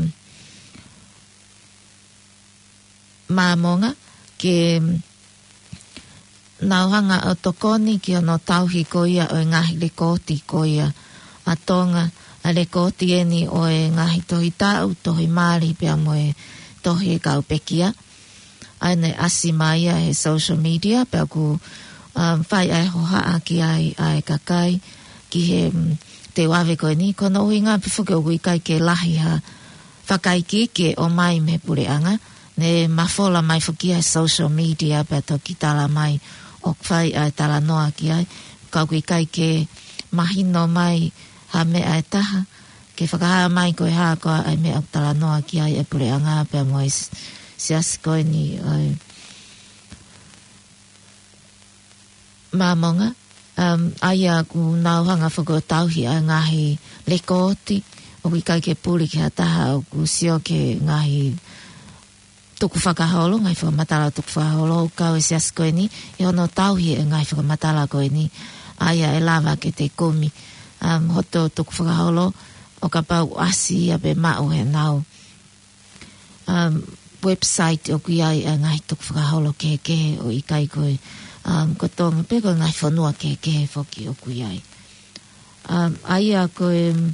Māmonga, ke nau hanga ʻo tokoni ki hono tauhi ko ia ʻo e ngaahi lekooti ko ia ʻa Tonga, ʻa e lekooti eni ʻo e ngaahi tohi taʻu, tohi mali pea mo e tohi e kau pekia. ʻA ia naʻe ʻasi mai ia he social media, pea ʻoku, um, fai ʻa e hohaʻa ki ai ʻa e kakai, ki he, um, teu ave ko eni, ko hono ʻuhinga pē foki ʻoku ʻikai ke lahi ha fakaikiiki ʻe ʻomai mei he puleʻanga, ne mafola mai foki ia he social media pea toki tala mai ʻoku fai ʻa e talanoa ki ai, ka ʻoku ʻikai ke mahino mai ha meʻa ʻe taha, ke fakahā mai ko e hā koā ʻa e meʻa ʻoku talanoa ki ai ʻa e puleʻanga pea mo e s-, siasi ko eni ʻa e Māmonga. Um, ʻa ia ʻoku nau hanga foki ʻo tauhi ʻa e ngaahi lekooti, ʻoku ʻikai ke puli ki ha taha ʻoku sio ki he ngaahi tukufakaholo, ngaahi fakamatala tukufakaholo, ʻoku kau e siasi ko eni ʻi hono tauhi e ngaahi fakamatala ko eni, ʻa ia ʻe lava ke te kumi, um, hoto tukufakaholo, ʻo kapau ʻasi ia pe maʻu he nau, um, website ʻoku ʻi ai ʻa e ngaahi tukufakaholo kehekehe ʻo ʻikai ko e, um, ko Tonga pe ko e ngaahi fonua kehekehe foki ʻoku ʻi ai. Um, ʻa ia ko e, um,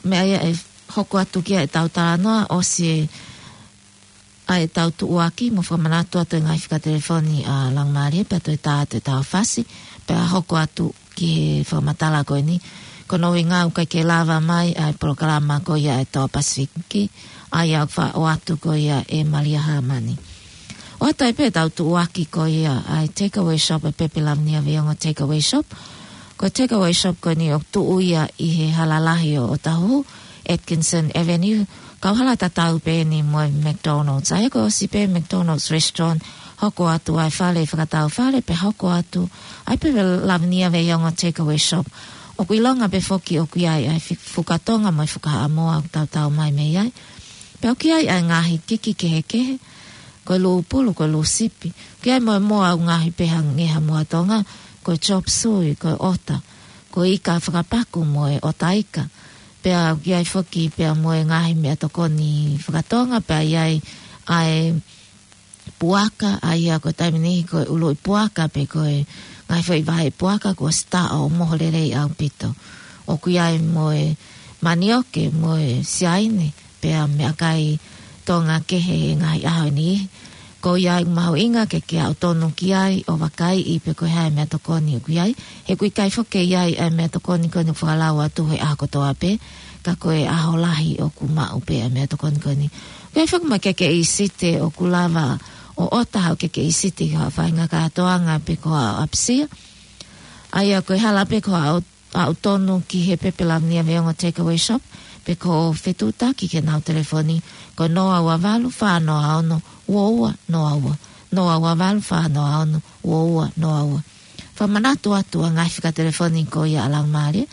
meʻa ia ʻe hoko atu ki ai ʻetau talanoa, ʻosi e ʻa ʻetau tuʻuaki mo fakamanatu atu e ngaahi fika telefoni ʻa Langamalie pea toe tā atu ʻetau fasi, pea hoko atu ki he fakamatala ko eni. Ko hono ʻuhinga ʻoku ʻikai ke lava mai ʻa e polokalama ko ia ʻa e Toa Pasifiki, ʻa ia ʻoku faʻo atu ko ia ʻe Malia Hamani. ʻOatu ai pē ʻetau tuʻuaki ko ia ʻa e Takeaway Shop, ʻa e Pepe Lavinia Veiongo Takeaway Shop. Ko e Takeaway Shop ko eni ʻoku tuʻu ia ʻi he hala lahi ʻo ʻŌtāhuhu, Atkinson Avenue, kauhala tatau pē eni mo e McDonald's. ʻA ia ko e ʻosi pē McDonald's restaurant, hoko atu ʻa e fale fakatau fale, pea hoko atu ʻa e Pepe Lavinia Veiongo Takeaway Shop. ʻOku ʻilonga pē foki ʻoku ʻi ai ʻa e fi-, fuka Tonga mo e fuka Haʻamoa ʻoku tautau mai mei ai. Pea ʻoku ʻi ai ʻa e ngaahi kiki kehekehe, ko e lūpulu, ko e lūsipi. ʻOku ʻi ai mo e moa ʻoku ngaohi pē he ngeha moa Tonga, ko e chop suey, ko e ʻota, ko e ika fakapaku mo e ʻota ika. Pea ʻoku ʻi ai foki pea mo e ngaahi meʻatokoni fakatonga, pea ʻi ai ʻa e puaka, ʻa ia ko e taimi ni ko e ʻuluʻi puaka pe ko e ngaahi foʻi vahe puaka kuo ʻosi taʻo ʻo moho lelei ʻaupito. ʻOku ʻi ai mo e manioke, mo e siaine, pea meʻakai Tonga kehe he ngaahi ʻaho ni. Ko ia ʻoku mahuʻinga ke ke aʻu tonu ki ai ʻo vakaiʻi pe ko e hā e meʻatokoni ʻoku ʻi ai. He ʻoku ʻikai foki ke ʻi ai ʻa e meʻatokoni ko eni ʻoku fakalau atu he ʻaho kotoa pē, ka ko e ʻaho lahi ʻoku maʻu pē ʻa e meʻatokoni ko eni. ʻOku ʻi ai foki mo e kekeʻi site ʻoku lava ʻo ʻota haʻo kekeʻi site ki haʻo faʻahinga kātoanga pe ko haʻo ʻapisia. ʻA ia ko e hala pē ko haʻo aʻu tonu ki he Pepe Lavinia Veiongo Takeaway Shop, pe ko e fetuʻutaki ki heʻenau telefoni, ko e noa ua valu, fā noa ono, ua ua noa ua. Noa ua valu, fā noa ono, ua ua noa ua. Fakamanatu atu ʻa e ngaahi fika telefoni ko ia ʻa Langamalie.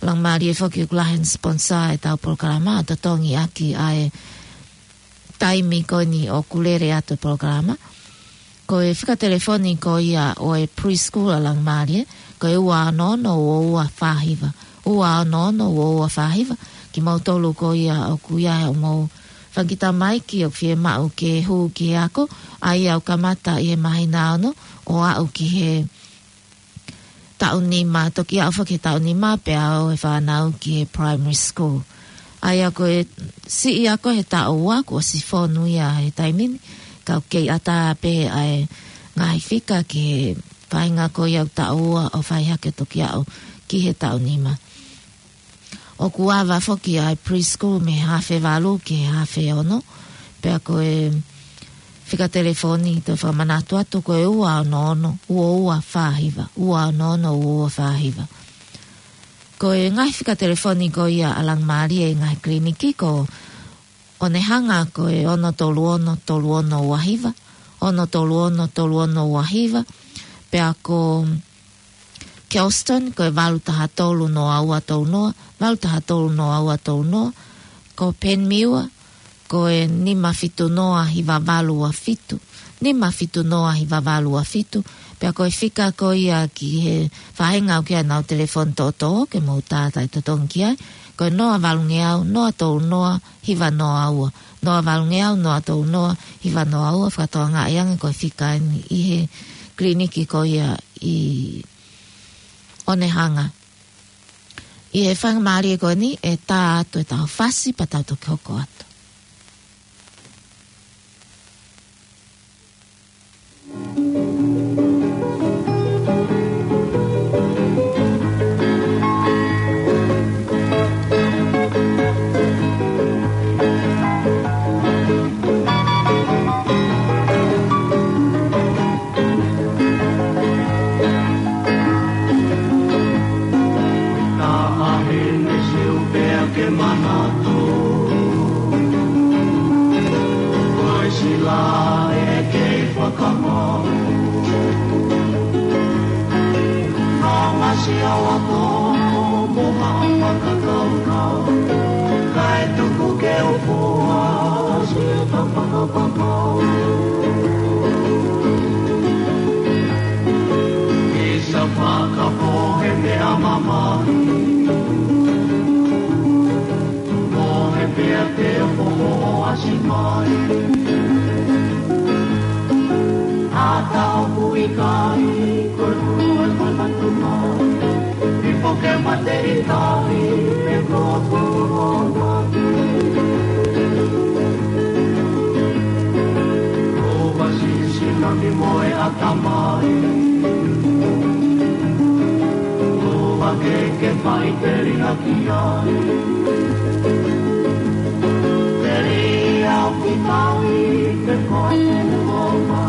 Langamalie foki ʻoku lahi hono sponsor ʻetau polokalama, ʻo totongi ʻaki ʻa e taimi ko eni ʻoku lele atu e polokalama. Ko e fika telefoni ko ia ʻo e preschool ʻa Langamalie, ko e ua ono ono ua ua fā hiva. Ua ono ono ua ua fā hiva. Kimoutolu ko ia ʻoku ʻi ai haʻamou fanga kiʻi tamaiki ʻoku fiemaʻu ke hū ki he ako, ʻa ia ʻoku kamata ʻi he māhina ono ʻo aʻu ki he taʻu nima, toki aʻu foki he taʻu nima, pea ō e fānau ki he primary school. ʻA ia ko e siʻi ako he taʻu ua, kuo ʻosi fonu ia he taimi ni, ka ʻoku kei ʻatā pē ʻa e ngaahi fika ki he faʻahinga ko ia ʻoku taʻu ua ʻo fai hake toki aʻu ki he taʻu nima. ʻOku ava foki ʻa e preschool mei he hafe valu ki he hafe ono, pea ko e fika telefoni toe fakamanatu atu ko e ua ono ono ua ua fā hiva, ua ono ono ua ua fā hiva. Ko e ngaahi fika telefoni ko ia ʻa Langamalie ʻi he ngaahi kiliniki ko Onehunga ko e ono tolu ono tolu ono ua hiva, ono tolu ono tolu ono ua hiva, pea ko Kelston ko e valu taha tolu noa ua tolu noa, valu taha tolu noa ua tolu noa, ko Penmiwa ko e nima fitu noa hiva valu ua fitu, nima fitu noa hiva valu ua fitu, pea ko e fika ko ia ki he faʻahinga ʻoku ʻi ai ʻenau telefoni toʻotoʻo ke mou tātai totongi ki ai, ko e noa valungeau noa tolu noa hiva noa ua, noa valungeau noa tolu noa hiva noa ua, fakatokangaʻi ange ko e fika eni ʻi he kiliniki ko ia ʻi Onehunga. ʻI he faingamālie ko eni ʻe tā atu ʻetau fasi pea tau toki hoko atu. Isa fakapohe meʻa mamahi. Pohe pea te u poho ʻo ʻasi mai. ʻAta ʻoku ʻikai, ko e kulu e manatu mai. I poke mate i kai, me ko ko mate. Ko vasi sina mi moe ʻatamai. Ko va ke ke fai teli na ki ai. Teli au ki kai, ke koe ke mo ma.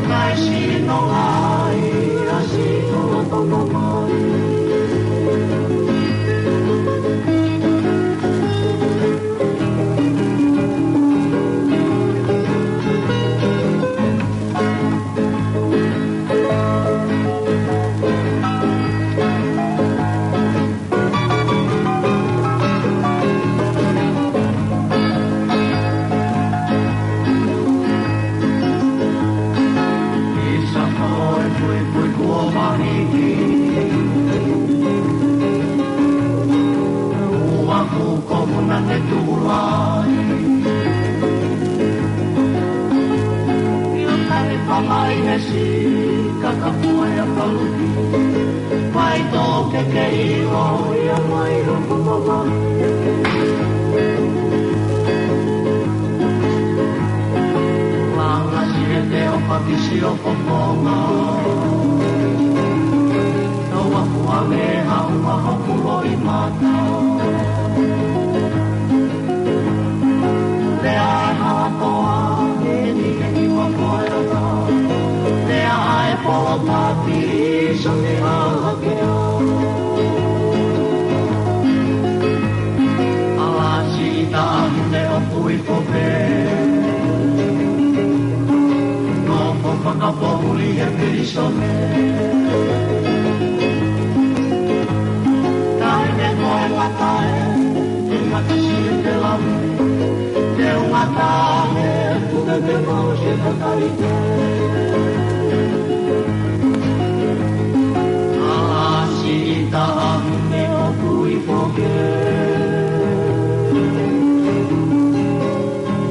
Kai sino ai, a sino la papa mai. Isa ko e puipui kuo mahiki. Ua kuko muna te tulai. Ia kani pamai he si kakapua ia paluki. Pai tō ke ke ʻilo ia mai roku mama. Langa si e te o pakisi o poponga. Tau aku a me hau a hoku loʻi mata. Lea e hatoa, e ni e ni wa koe ata. Lea e polo pati, so ni a hake a. Ala si ta a hune o pui pope. No ko fakapohuli e pirisone. Tae ne koe watae, e matasi e te lami. Te ungatae, te te mau se takarite. Ala si ta a hune o pui pope.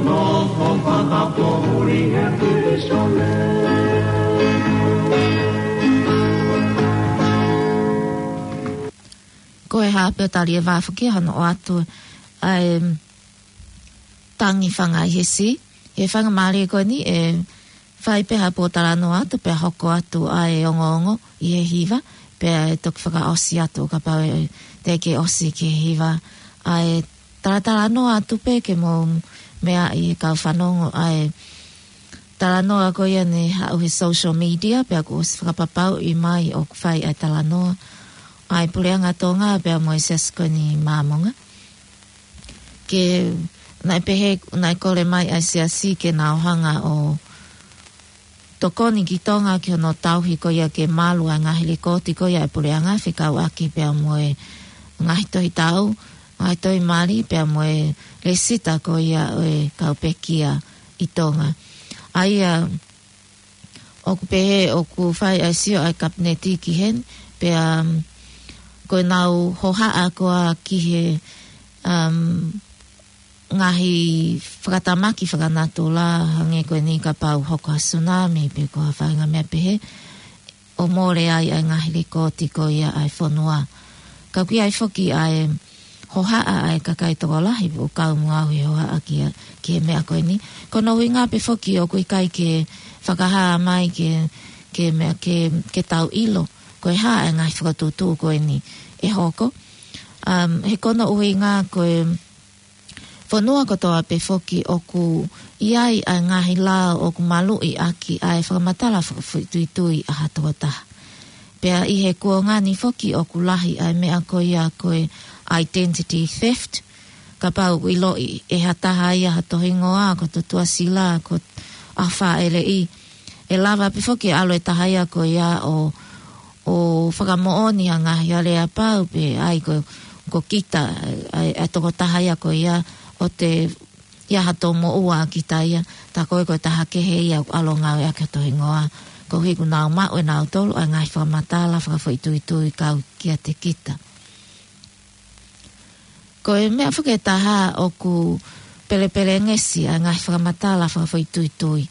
No ko fakapohuli e pirisone. Ko e hape o tali e vafuki hano o atu ʻa e tangi fanga ʻi he si. ʻI he fanga mali ko eni ʻe fai pe hapo talanoa atu pe hoko atu ʻa e ongoongo ʻi he hiva pe ʻe toki fakaʻosi atu kapau ʻe te ke ʻosi ki he hiva. ʻA e talatalanoa atu pe ke mou meaʻi e kau fanongo ʻa e talanoa ko ia ne haʻu he social media pe ʻoku ʻosi fakapapauʻi mai ʻoku fai ʻa e talanoa ʻa e Puleʻanga Tonga pe ʻa mo e Siasi ko eni Māmonga. Ke naʻe pehē, naʻe kole mai ʻa e Siasi ke nau hanga ʻo tokoni ki Tonga ki hono tauhi ko ia ke malu ʻa e ngaahi likooti ko ia ʻa e Puleʻanga fekauʻaki pe ʻa mo e ngaahi tohi tau, ngaahi tohi mali pe ʻa mo e lēsita ko ia ʻo e kau pekia ʻi Tonga. ʻA ia ʻoku pehē ʻoku fai ʻa e sio ʻa e Kapineti ki heni, pea, um, ko e nau hohaʻa ko ia ki he, um, ngaahi fakatamaki fakanatula hangē ko eni kapau hoko ha sunami pe ko ha faʻahinga meʻa pehē, ʻo mole ai ʻa e ngaahi likooti ko ia ʻa e fonua. Ka ʻoku ʻi ai foki ʻa e hohaʻa ʻa e kakai tokolahi ʻoku kau mo au he hohaʻa ki, ki he meʻa ko eni. Ko hono ʻuhinga pe foki ʻoku ʻikai ke fakahā mai ke, ke meʻa ke, ke tau ʻilo ko e hā ʻa e ngaahi fakatuʻutuʻu ko eni ʻe hoko. Um, he ko hono ʻuhinga ko e fonua kotoa pe foki ʻoku ʻi ai ʻa e ngaahi lao ʻoku maluʻi ʻaki ʻa e fakamatala fakafoʻituitui ʻa ha tokotaha. Pea ʻi he kuonga ni foki ʻoku lahi ʻa e meʻa ko ia ko e identity theft. Kapau ʻoku ʻiloʻi ʻe ha taha ia ha tohingoa, ko Tutuʻasila, ko ʻAhofaʻeleʻi. ʻE lava pe foki ʻalu e taha ia ko ia ʻo, ʻo fakamoʻoni ha ngaahi aleapau pe ʻai ko, ko kita, ʻa e, ʻa e tokotaha ia ko ia ʻo te ʻi ai ha tō moʻua ʻa kita ia, tā ko ē ko e taha kehe ia ʻoku ʻalu ʻo ngāueʻaki hoto hingoa, koeʻuhi kuo nau maʻu ʻe nautolu ʻa e ngaahi fakamatala fakafoʻituitui kau kiate kita. Ko e meʻa foki ʻe taha ʻoku pelepelengesi ʻa e ngaahi fakamatala fakafoʻituitui.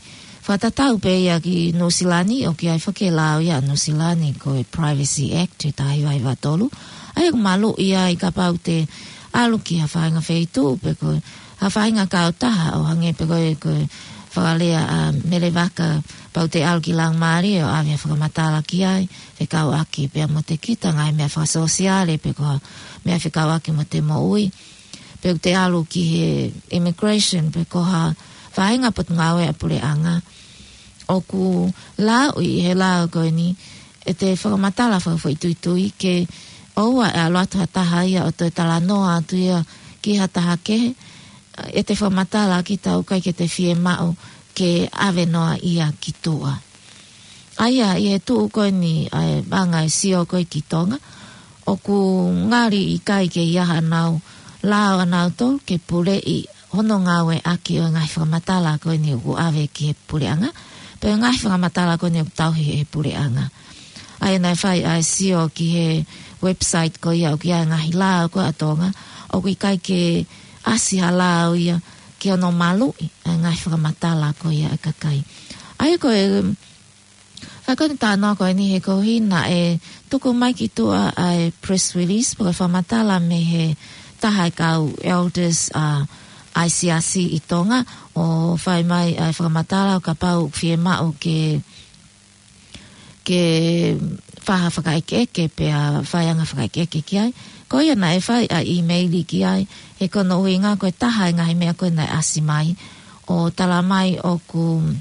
Fakatatau pē ia ki Nuʻusila ni, ʻoku ʻi ai foki e lao ia ʻa Nuʻusila ni, ko e Privacy Act, ʻe taha hiva hiva tolu. ʻA ia ʻoku maluʻi ai kapau te ʻalu ki ha faʻahinga feituʻu, pe ko ha faʻahinga kautaha ʻo hangē pē ko e, ko e fakalea ʻa Melevaka, kapau te ʻalu ki Laumālie ʻo ʻave ha fakamatala ki ai, fekauʻaki pea mo te kita ngaahi meʻa fakasōsiale, pe ko ha meʻa fekauʻaki mo te moʻui. Pe ʻoku te ʻalu ki he immigration, pe ko ha faʻahinga potungāue ʻa e puleʻanga. ʻOku lauʻi ʻe he lao ko eni, ʻe te fakamatala fakafoʻituitui ke ʻoua ʻe ʻalu atu ha taha ia ʻo toe talanoa atu ia ki ha taha kehe, ʻe te fakamatala kita ʻoku ʻikai ke te fiemaʻu ke ʻave noa ia ki tuʻa. ʻA ia, ʻi he tuʻu ko eni ʻa e anga e sio ko ē ki Tonga, ʻoku ngali ʻikai ke ʻi ai haʻanau lao ʻanautolu ke puleʻi hono ngāueʻaki ʻo e ngaahi fakamatala ko eni ʻoku ʻave ki he puleʻanga, pe ngaahi fakamatala ko eni ʻoku tauhi ʻe he puleʻanga. ʻA ia naʻe fai ʻa e sio ki he website ko ia ʻoku ʻi ai e ngaahi lao ko ē ʻa Tonga, ʻoku ʻikai ke ʻasi ha lao ia ki hono maluʻi ʻa e ngaahi fakamatala ko ia ʻa e kakai. ʻA ia ko e, ʻa ko eni talanoa ko eni he koeʻuhi naʻe tuku mai ki tuʻa ʻa e press release, pe ko e fakamatala mei he taha e kau elders ʻa e siasi ʻi Tonga, ʻo fai mai ʻa e fakamatala ʻo kapau ʻoku fiemaʻu ke, ke fai ha fakaʻekeʻeke, pea fai anga fakaʻekeʻeke ki ai. Ko ia naʻe fai ʻa e email ki ai, he ko hono ʻuhinga ko e taha e ngaahi meʻa ko ē naʻe ʻasi mai, ʻo tala mai ʻoku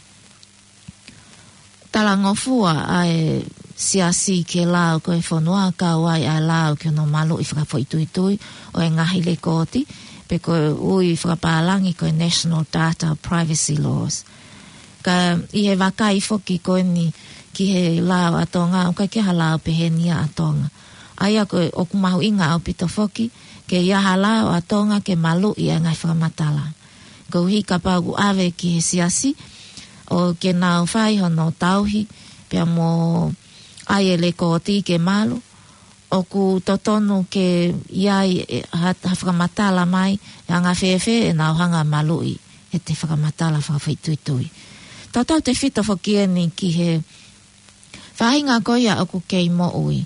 talangofua ʻa e siasi ki he lao ko ē fonua, kau ai ʻa e lao ki hono maluʻi fakafoʻituitui ʻo e ngaahi lekooti, pe ko e ui fakapālangi ko e National Data Privacy Laws. Ka ʻi he vakai foki ko eni ki he lao ʻa Tonga, ʻoku ʻikai ke ʻi ai ha lao pehē ni ʻa Tonga. ʻA ia ko e ʻoku mahuʻinga ʻaupito foki ke ʻi ai ha lao ʻa Tonga ke maluʻi ʻa e ngaahi fakamatala. Koeʻuhi kapau ʻoku ʻave ki he siasi, ʻo ke nau fai hono tauhi, pea mo ʻai e lekooti ke malu, ʻoku totonu ke ʻi ai e, ha, ha fakamatala mai, ʻe anga fēfē ʻenau hanga ʻo maluʻi ʻete fakamatala fakafoʻituitui. Tautautefito foki eni ki he faʻahinga ko ia ʻoku kei moʻui.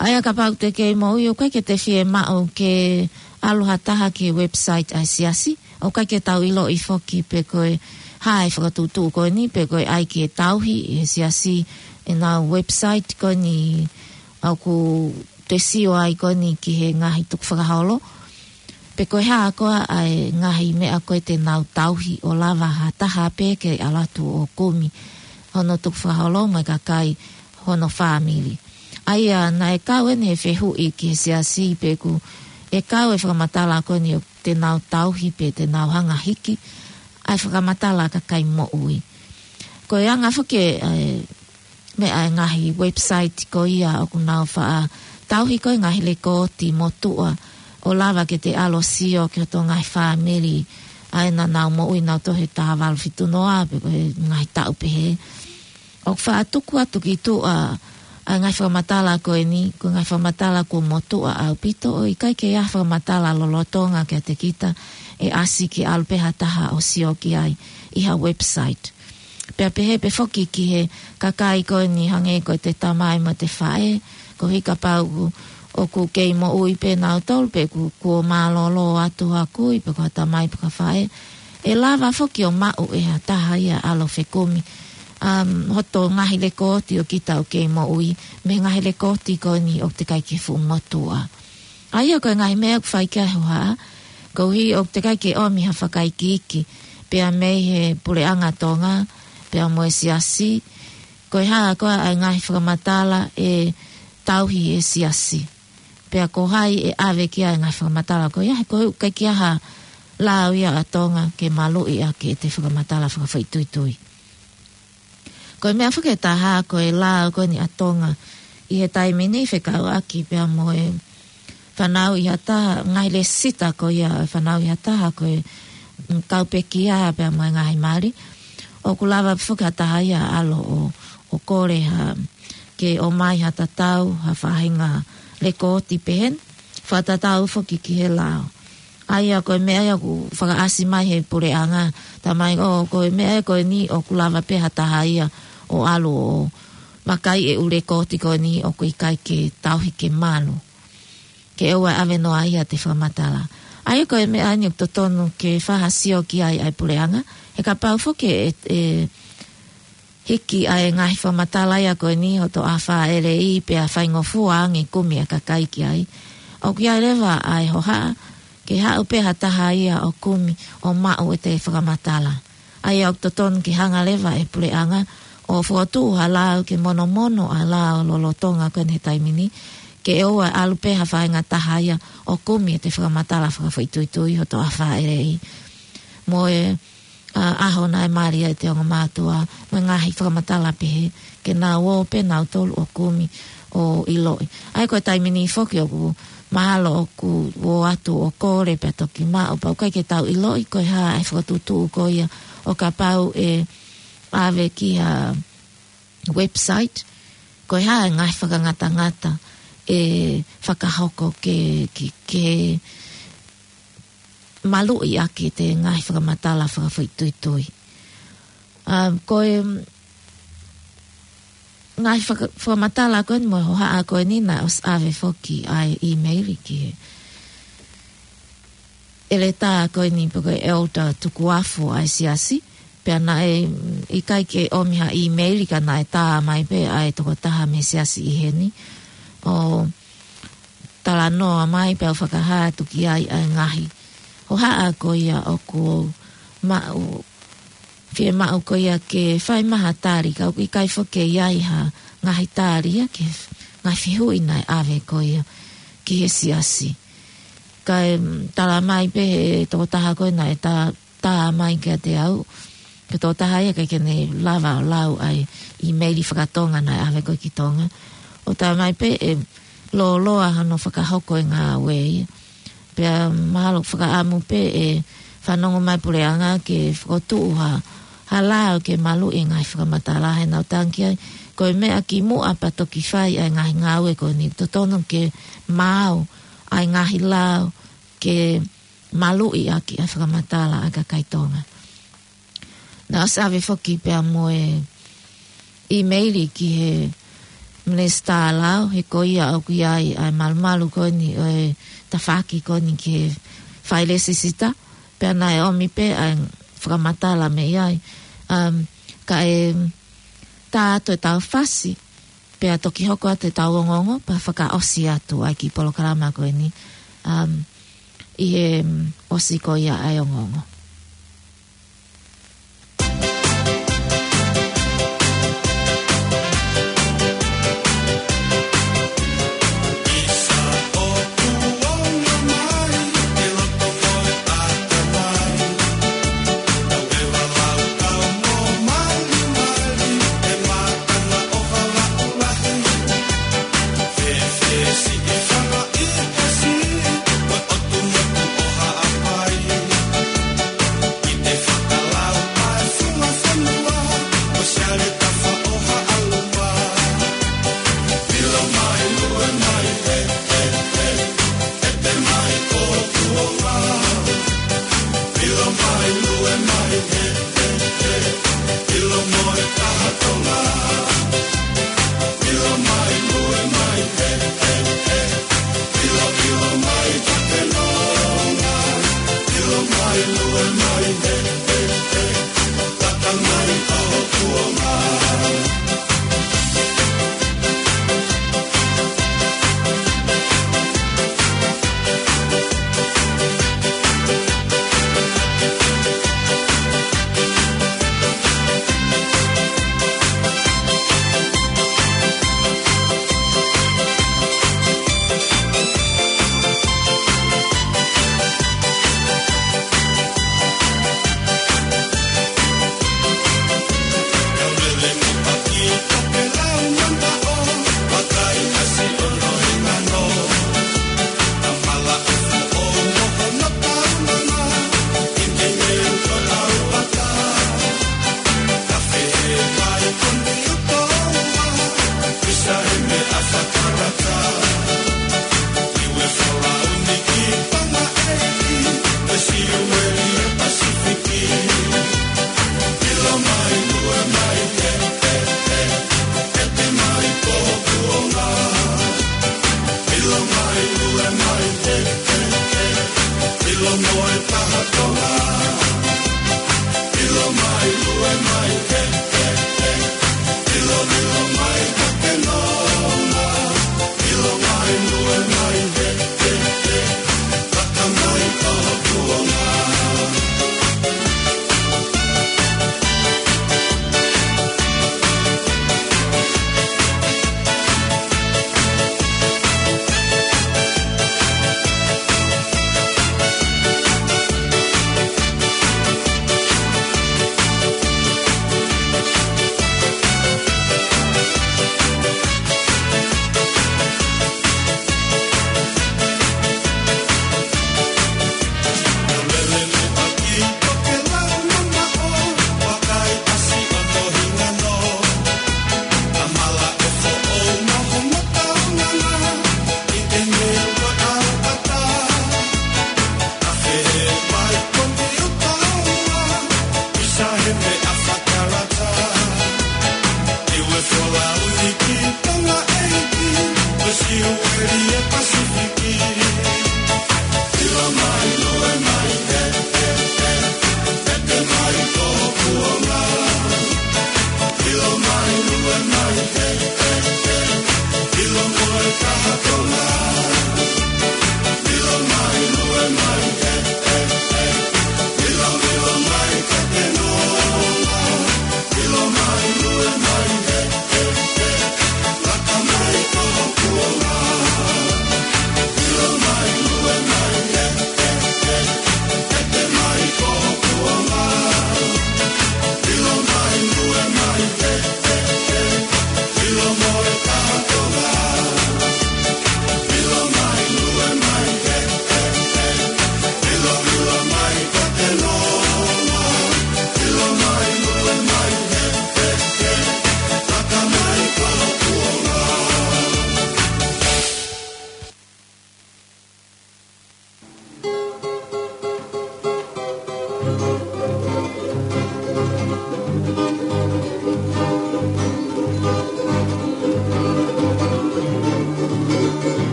ʻA ia kapau te kei moʻui, ʻoku ʻikai ke te fiemaʻu ke ʻalu ha taha ki he website ʻa e siasi, ʻoku ʻikai ke tau ʻiloʻi foki pe ko e hā e fakatuʻutuʻu ko eni, pe ko e ʻai ke tauhi ʻe he siasi ʻenau website ko eni ʻoku te sio ai ko eni ki he ngaahi tukufakaholo. Pe ko e hā koā ʻa e ngaahi meʻa ko ē te nau tauhi ʻo lava ha taha pē ke ʻalu atu ʻo kumi hono tukufakaholo mo e kakai hono fāmili. ʻA ia naʻe kau eni he fehuʻi ki he siasi pe ʻoku kau e fakamatala ko eni ʻoku te nau tauhi pe te nau hanga ʻo hiki ʻa e fakamatala ʻa e kakai moʻui. Ko e anga foki e, e meʻa ʻa e ngaahi website ko ia ʻoku nau faʻa tauhi ko ē ngaahi lekooti motuʻa ʻo lava ke te ʻalu ʻo sio ki hoto ngaahi fāmili ʻa ē naʻa nau moʻui nautolu he taha valu fitu noa pe ko e ngaahi taʻu pehē. ʻOku faʻa tuku atu ki tuʻa ʻa e ngaahi fakamatala ko eni, ko e ngaahi fakamatala kuo motuʻa ʻaupito, ʻo ʻikai ke ʻi ai ha fakamatala lolotonga kiate kita ʻe ʻasi ke ʻalu pē ha taha ʻo sio ki ai ʻi ha website. Pea pehē pē foki ki he kakai ko eni hangē ko e te tamai mo te faʻē, koeʻuhi kapau ʻoku kei moʻui pē nautolu pe ʻoku, kuo mālōlō atu ha kui pe ko ha tamai pe ko ha faʻē, ʻe lava foki ʻo maʻu ʻe ha taha ia ʻalu ʻo fekumi, um, hoto ngaahi lekooti ʻo kita ʻoku kei moʻui, mei he ngaahi lekooti ko eni ʻoku teʻeki ai ke fuʻu motuʻa. ʻA ia ko e ngaahi meʻa ʻoku fai ki ai e hohaʻa, koeʻuhi ʻoku teʻeki ai ke ʻomi ha fakaikiiki, pea mei he puleʻanga Tonga, pea mo e siasi, ko e hā koā ʻa e ngaahi fakamatala ʻe tauhi ʻe he siasi. Pea ko hai ʻe ʻave ki ai e ngaahi fakamatala ko ia, he ko e ʻikai ke ʻi ai ha lao ia ʻa Tonga ke maluʻi ʻaki ʻete fakamatala fakafoʻituitui. Ko e meʻa foki ʻe taha ko e lao ko eni ʻa Tonga ʻi he taimi ni fekauʻaki pea mo e fanauʻi ha taha, ngaahi lēsisita ko ia, fanauʻi ha taha ko e, mm, kau pekia pea mo e ngaahi mali. ʻOku lava foki ha taha ia ʻo ʻalu ʻo, ʻo kole ha, ke ʻomai ha tatau, ha faʻahinga lekooti pehē ni. Fakatatau foki ki he lao. ʻA ia ko e meʻa ia ʻoku fakaʻasi mai he puleʻanga, talamai ʻo, ko e meʻa ia ko eni ʻoku lava pē ha taha ia ʻo ʻalu ʻo vakai e ʻū lekooti ko eni ʻoku ʻikai ke tauhi ke malu. Ke ʻoua ʻe ʻave noa ia ʻete fakamatala. ʻA ia ko e meʻa eni ʻoku totonu ke fai ha sio ki ai ʻa e puleʻanga. He kapau foki ʻe, ʻe hiki ʻa e ngaahi fakamatala ia ko eni hoto afā ʻelei pea faingofua ange kumi ʻa e kakai ki ai. ʻOku ʻi ai leva ʻa e hohaʻa, ke haʻu pē ha taha ia ʻo kumi ʻo maʻu ʻete fakamatala. ʻA ia ʻoku totonu ke hanga leva ʻe he puleʻanga ʻo fokotuʻu ha lao ke monomono ʻa e lao lolotonga ko eni he taimi ni, ke ʻoua ʻe ʻalu pē ha faʻahinga taha ia ʻo kumi ʻete fakamatala fakafoʻituitui hoto afā ʻelei. Mo e, ʻa, ʻaho naʻe mali ai ʻete ongo mātuʻa, mo e ngaahi fakamatala pehē, ke nau ō pē nautolu ʻo kumi ʻo ʻiloʻi. ʻA ia ko e taimi ni foki ʻoku mahalo ʻoku ō atu ʻo kole pea toki maʻu, pea ʻoku ʻikai ke tau ʻiloʻi ko e hā e fakatuʻutuʻu ko ia ʻo kapau ʻe ʻave ki ha website, ko e hā e ngaahi fakangatangata ʻe fakahoko ke, ke, ke maluʻi ʻaki ʻete ngaahi fakamatala fakafoʻituitui. Um, ko e ngaahi faka-, fakamatala ko eni mo e hohaʻa ko eni naʻe ʻosi ʻave foki ʻa e ʻīmeili ki he ʻeletā ko eni pe ko e Elder Tukuafu ʻa e siasi. Pea naʻe, mm, ʻikai ke ʻomi ha ʻīmeili ka naʻe tā mai pē ʻa e tokotaha mei he siasi ʻi heni. ʻO talanoa mai pea u fakahā atu ki ai ʻa e ngaahi hohaʻa ko ia ʻoku maʻu, fiemaʻu ko ia ke fai mai ha tali, ka ʻoku ʻikai foki ke ʻi ai ha ngaahi tali ia ki he ngaahi fehuʻi naʻe ʻave ko ia ki he siasi. Kae, mm, tala mai pē he tokotaha ko ē naʻe tā, tā mai kiate au, ko e tokotaha ia ʻikai ke ne lava ʻo lau ʻa e ʻīmeili fakatonga naʻe ʻave ko ē ki Tonga. ʻO tā mai pē ʻe lōloa hano fakahoko e ngāue ia. Pea mahalo fakaʻamu pē ʻe fanongo mai puleʻanga ke fokotuʻu ha, ha lao ke maluʻi e ngaahi fakamatala he naʻa ku tangi ai. Ko e meʻa kimuʻa pea toki fai ʻa e ngaahi ngāue ko eni, totonu ke maau ʻa e ngaahi lao ke maluʻi ʻaki ʻa e fakamatala ʻa e kakai Tonga. Naʻe ʻosi ʻave foki pea mo e ʻīmeili ki he Minisitā Lao, he ko ia ʻoku ʻi ai ʻa e malumalu ko eni ʻo e tafaʻaki ko eni ki he fai lēsisita, pea naʻe ʻomi pē ʻa e fakamatala mei ai. Um, kae tā atu ʻetau fasi, pea toki hoko atu ʻetau ongoongo, pea fakaʻosi atu ʻa e kiʻi polokalama ko eni, um, ʻi he, um, ʻosi ko ia ʻa e ongoongo.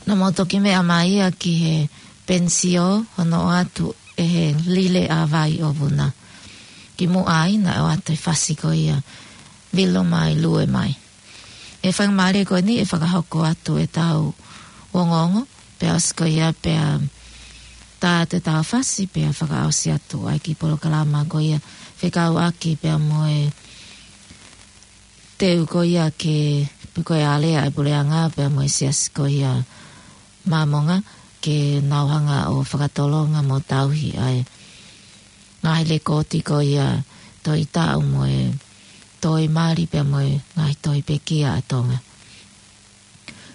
Naʻa mau toki meʻa mai ia ki he pensio hono ʻoatu ʻe he Lile ʻa Vai ʻo Vuna. Kimuʻa ai naʻe ʻoatu e fasi ko ia, Vilo mai, lue mai. ʻE fakamālie ko eni ʻe fakahoko atu ʻetau ongoongo, pea ʻosi ko ia pea tā atu ʻetau fasi pea fakaʻosi atu ai ki he polokalama ko ia fekauʻaki pea mo e teu ko ia ke, pe ko e alea ʻa e puleʻanga pea mo e siasi ko ia Māmonga ke nau hanga ʻo fakatolonga mo tauhi ʻa e ngaahi lekooti ko ia tohi taʻu mo e tohi mali pea mo e ngaahi tohi pekia ʻa Tonga.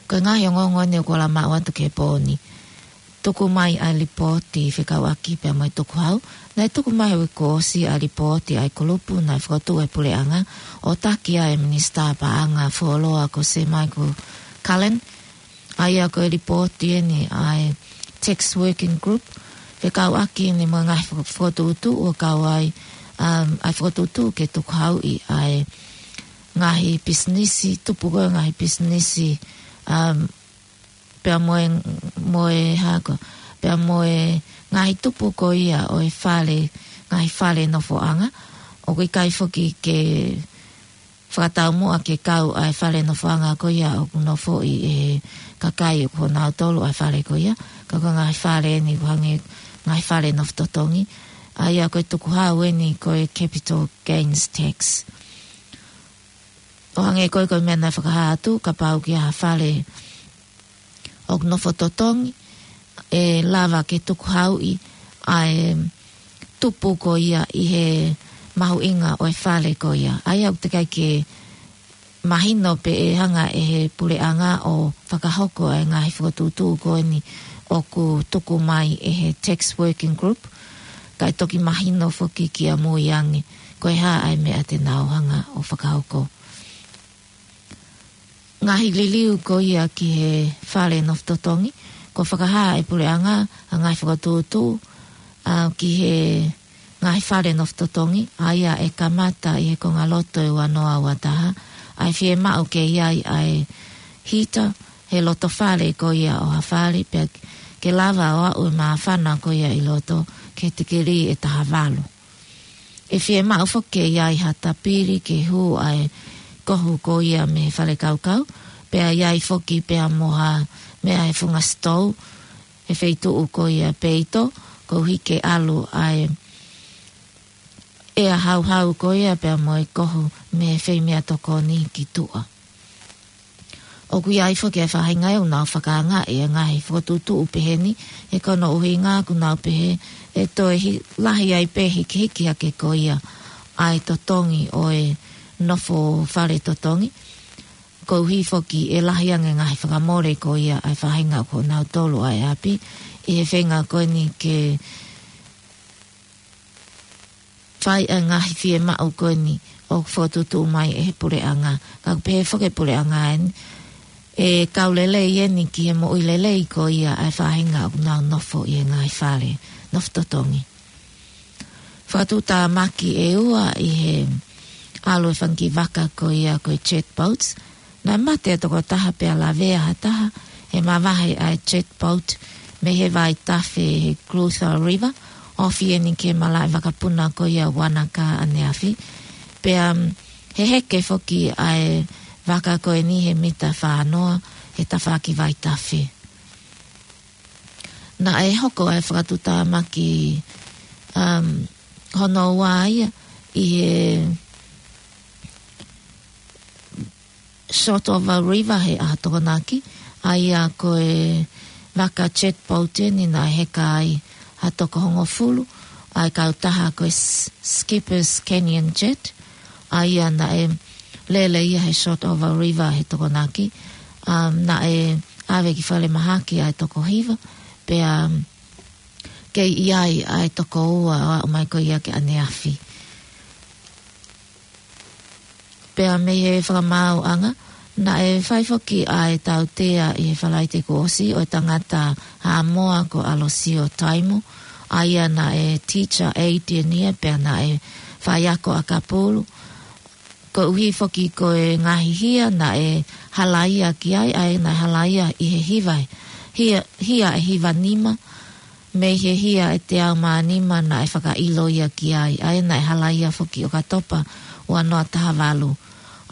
Ko e ngaahi ongoongo eni ʻoku ala maʻu atu ki he pō ni. Tuku mai ʻa e lipooti fekauʻaki pea mo e tukuhau. Naʻe tuku mai he uike kuo ʻosi ʻa e lipooti ʻa e kulupu naʻe fokotuʻu ʻe he puleʻanga ʻo taki ai e Minisitā Paʻanga Fuoloa ko Sir Michael Cullen. ʻA ia ko e lipooti eni ʻa e Tax Working Group. Fekauʻaki eni mo e ngaahi fo-, fokotuʻutuʻu ʻoku kau ai, um, ʻa e fokotuʻutuʻu ke tukuhauʻi ʻa e ngaahi pisinisi, tupu ko e ngaahi pisinisi, um, pea mo e, mo e hako, pea mo e ngaahi tupu ko ia ʻo e fale, ngaahi fale nofoʻanga, ʻoku ʻikai foki ke fakataumuʻa ke kau ʻa e fale nofoʻanga ko ia ʻoku nofoʻi ʻe he kakai ʻoku ʻonautolu ʻa e fale ko ia, ka ko e ngaahi fale eni ʻoku hangē ngaahi fale nofo totongi, ʻa ia ko e tukuhau eni ko e capital gains tax. ʻO hangē ko e, ko e meʻa naʻe fakahā atu, kapau ʻoku ʻi ai ha fale ʻoku nofo totongi, ʻe lava ke tukuhauʻi ʻa e tupu ko ia ʻi he mahuʻinga ʻo e fale ko ia. ʻA ia ʻoku teʻeki ai ke mahino pe ʻe hanga ʻe he puleʻanga ʻo fakahoko ʻa e ngaahi fokotuʻutuʻu ko eni ʻoku tuku mai ʻe he tax working group, kae toki mahino foki kiʻamui ange ko e hā ʻa e meʻa te nau hanga ʻo fakahoko. Ngaahi liliu ko ia ki he fale nofo totongi, kuo fakahā ʻe he puleʻanga ʻa e ngaahi fokotuʻutuʻu, ʻa, ki he ngaahi fale nofo totongi, ʻa ia ʻe kamata ʻi he konga loto ʻo e ua noa ua taha, ʻa e fiemaʻu ke ʻi ai ʻa e hita he loto fale ko ia ʻo ha fale, pea ke lava ʻo aʻu e māfana ko ia ʻi loto ki he tikilī ʻe taha valu. ʻE fiemaʻu foki ke ʻi ai ha tapili ke hū ʻa e kohu ko ia mei he fale kaukau, pea ʻi ai foki pea mo ha meʻa he funga sitou, he feituʻu ko ia peito, koeʻuhi ke ʻalu ʻa e ʻea hauhau ko ia pea mo e kohu mei he feimeʻatokoni ki tuʻa. ʻOku ʻi ai foki e faʻahinga ʻoku nau fakaangaʻi e ngaahi fokotuʻutuʻu pehē ni, he ko hono ʻuhinga ʻoku nau pehē ʻe toe hi-, lahi ai pē hikihiki hake ko ia ʻa e totongi ʻo e nofo fale totongi. Koeʻuhi foki ʻe lahi ange ngaahi fakamole ko ia ʻa e faʻahinga ʻoku ʻonautolu ʻa e ʻapi, ʻi he feinga ko eni ke fai ʻa e ngaahi fiemaʻu ko eni ʻoku fokotuʻutuʻu mai ʻe he puleʻanga. Ka ʻoku pehē foki ʻe he puleʻanga eni, ʻe kau lelei eni ki he moʻui lelei ko ia ʻa e faʻahinga ʻoku nau nofo ʻi he ngaahi fale nofo totongi. Fakatuʻutāmaki ʻe ua ʻi he ʻalu e fanga kiʻi vaka ko ia ko e jet boats. Naʻe mate e tokotaha pea lavea ha taha he mavahe ʻa e jet boat mei he vaitafe he Clutha River, ofi eni ki he malaʻe vakapuna ko ia Wanaka ʻaneafi. Pea, mm, heheke foki ʻa e vaka ko eni he mita fā noa he tafaʻaki vaitafe. Naʻe hoko ʻa e fakatuʻutāmaki, um, hono ua ia ʻi he Shotover River he ʻaho Tokonaki, ʻa ia ko e vaka jet boat eni naʻe heka ai ha toko hongofulu ʻa e kautaha ko e S-, Skipper's Canyon Jet, ʻa ia naʻe lele ia he Shotover River he Tokonaki, um, naʻe ʻave ki falemahaki ʻa e toko hiva, pea, um, kei ʻi ai ʻa e toko ua ʻo aʻu mai ko ia ki ʻaneafi. Pea mei he fakamaauʻanga, naʻe fai foki ʻa e tautea ʻi he Falaite kuo ʻosi ʻo e tangata Haʻamoa ko ʻAlosio Taimo, ʻa ia naʻe teacher aide ia, pea naʻe faiako ʻakapulu. Koeʻuhi foki ko e ngaahi hia naʻe halaia ki ai, ʻa ia naʻe halaia ʻi he hiva, hia, hia ʻe hiva nima, mei he hia ʻe teau mā nima naʻe fakaʻilo ia ki ai, ʻa ia naʻe halaia foki ʻOkatopa ua noa taha valu.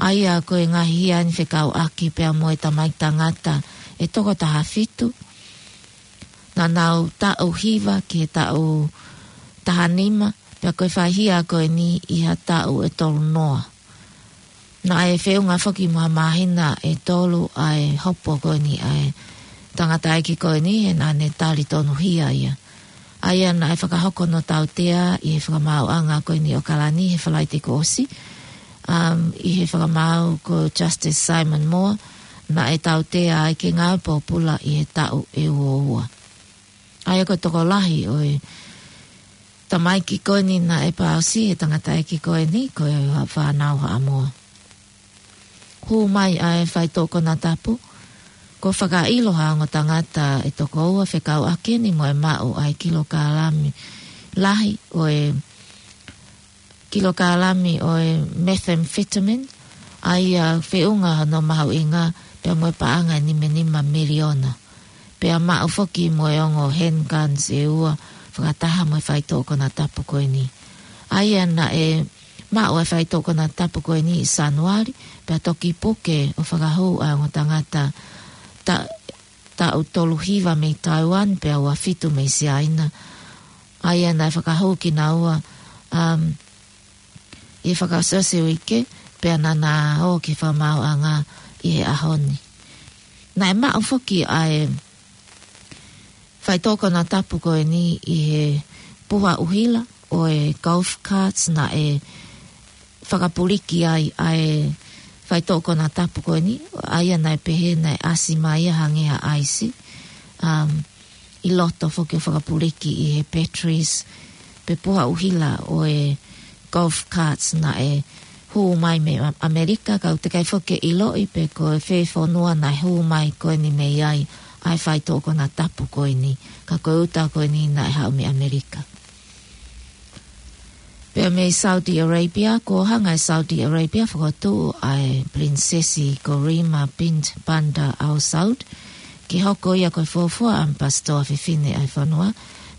ʻA ia ko e ngaahi hia eni fekauʻaki pea mo e tamaiki tangata ʻe toko taha fitu, naʻa nau taʻu hiva ki he taʻu taha nima, pea ko e fai hia ko eni ʻi ha taʻu ʻe tolu noa. Naʻe feʻunga foki mo ha māhina ʻe tolu ʻa e hopo ko eni ʻa e tangataʻeiki ko eni he naʻa ne tali tonuhia ia. ʻA ia naʻe fakahoko hono tautea ʻi he fakamaauʻanga ko eni ʻo ʻAokalani he Falaite kuo ʻosi, um, ʻi he fakamaau ko Justice Simon Moore, naʻe tautea ai ke ngāue pōpula ʻi he taʻu ʻe ua ua. ʻA ia ko e tokolahi ʻo e tamaiki ko eni naʻe pāusi he tangataʻeiki ko eni ko e fānau Haʻamoa. Hū mai ʻa e faitoʻo konatapu, kuo fakaʻilo ha ongo tangata ʻe toko ua fekauʻaki eni mo e maʻu ʻa e kilokalami lahi ʻo e kilokalami ʻo e methamphetamine, ʻA ia feʻunga hono mahuʻinga pea mo e paʻanga ʻe nima nima miliona. Pea maʻu foki mo e ongo handguns ʻe ua fakataha mo e faitoʻo konatapu ko eni. ʻA ia naʻe maʻu e faitoʻo konatapu ko eni ʻi Sānuali, pea toki puke ʻo fakahū ʻa e ongo tangata ta-, taʻu tolu hiva mei Taiwan, pea ua fitu mei Siaina. ʻA ia naʻe fakahū kinaua, um, ʻi he fakaʻosiʻosi uike, pea naʻa na ō ki he fakamaauʻanga ʻi he ʻaho ni. Naʻe maʻu foki ʻa e faitoʻo konatapu ko eni ʻi he puha ʻuhila ʻo e golf carts naʻe fakapuliki ai ʻa e faitoʻo konatapu ko eni, ʻa ia naʻe pehē naʻe ʻasi mai ia hangē ha ʻaisi, um, ʻi loto foki ʻo fakapuliki ʻi he batteries pe puha ʻuhila ʻo e golf carts naʻe hū mai mei ʻAmelika, ka ʻoku teʻeki ai foki ke ʻiloʻi pe ko e fē fonua naʻe hū mai ko eni mei ai ʻa e faitoʻo konatapu ko eni, ka ko e uta ko eni naʻe haʻu mei ʻAmelika. Pea mei Saudi Arabia, kuo hanga ʻe Saudi Arabia ʻo fokotuʻu ʻa e Pilinisesi ko Rima bint Bandar Al Saud ke hoko ia ko e fuofua ʻamipasitoa fefine ʻa e fonua,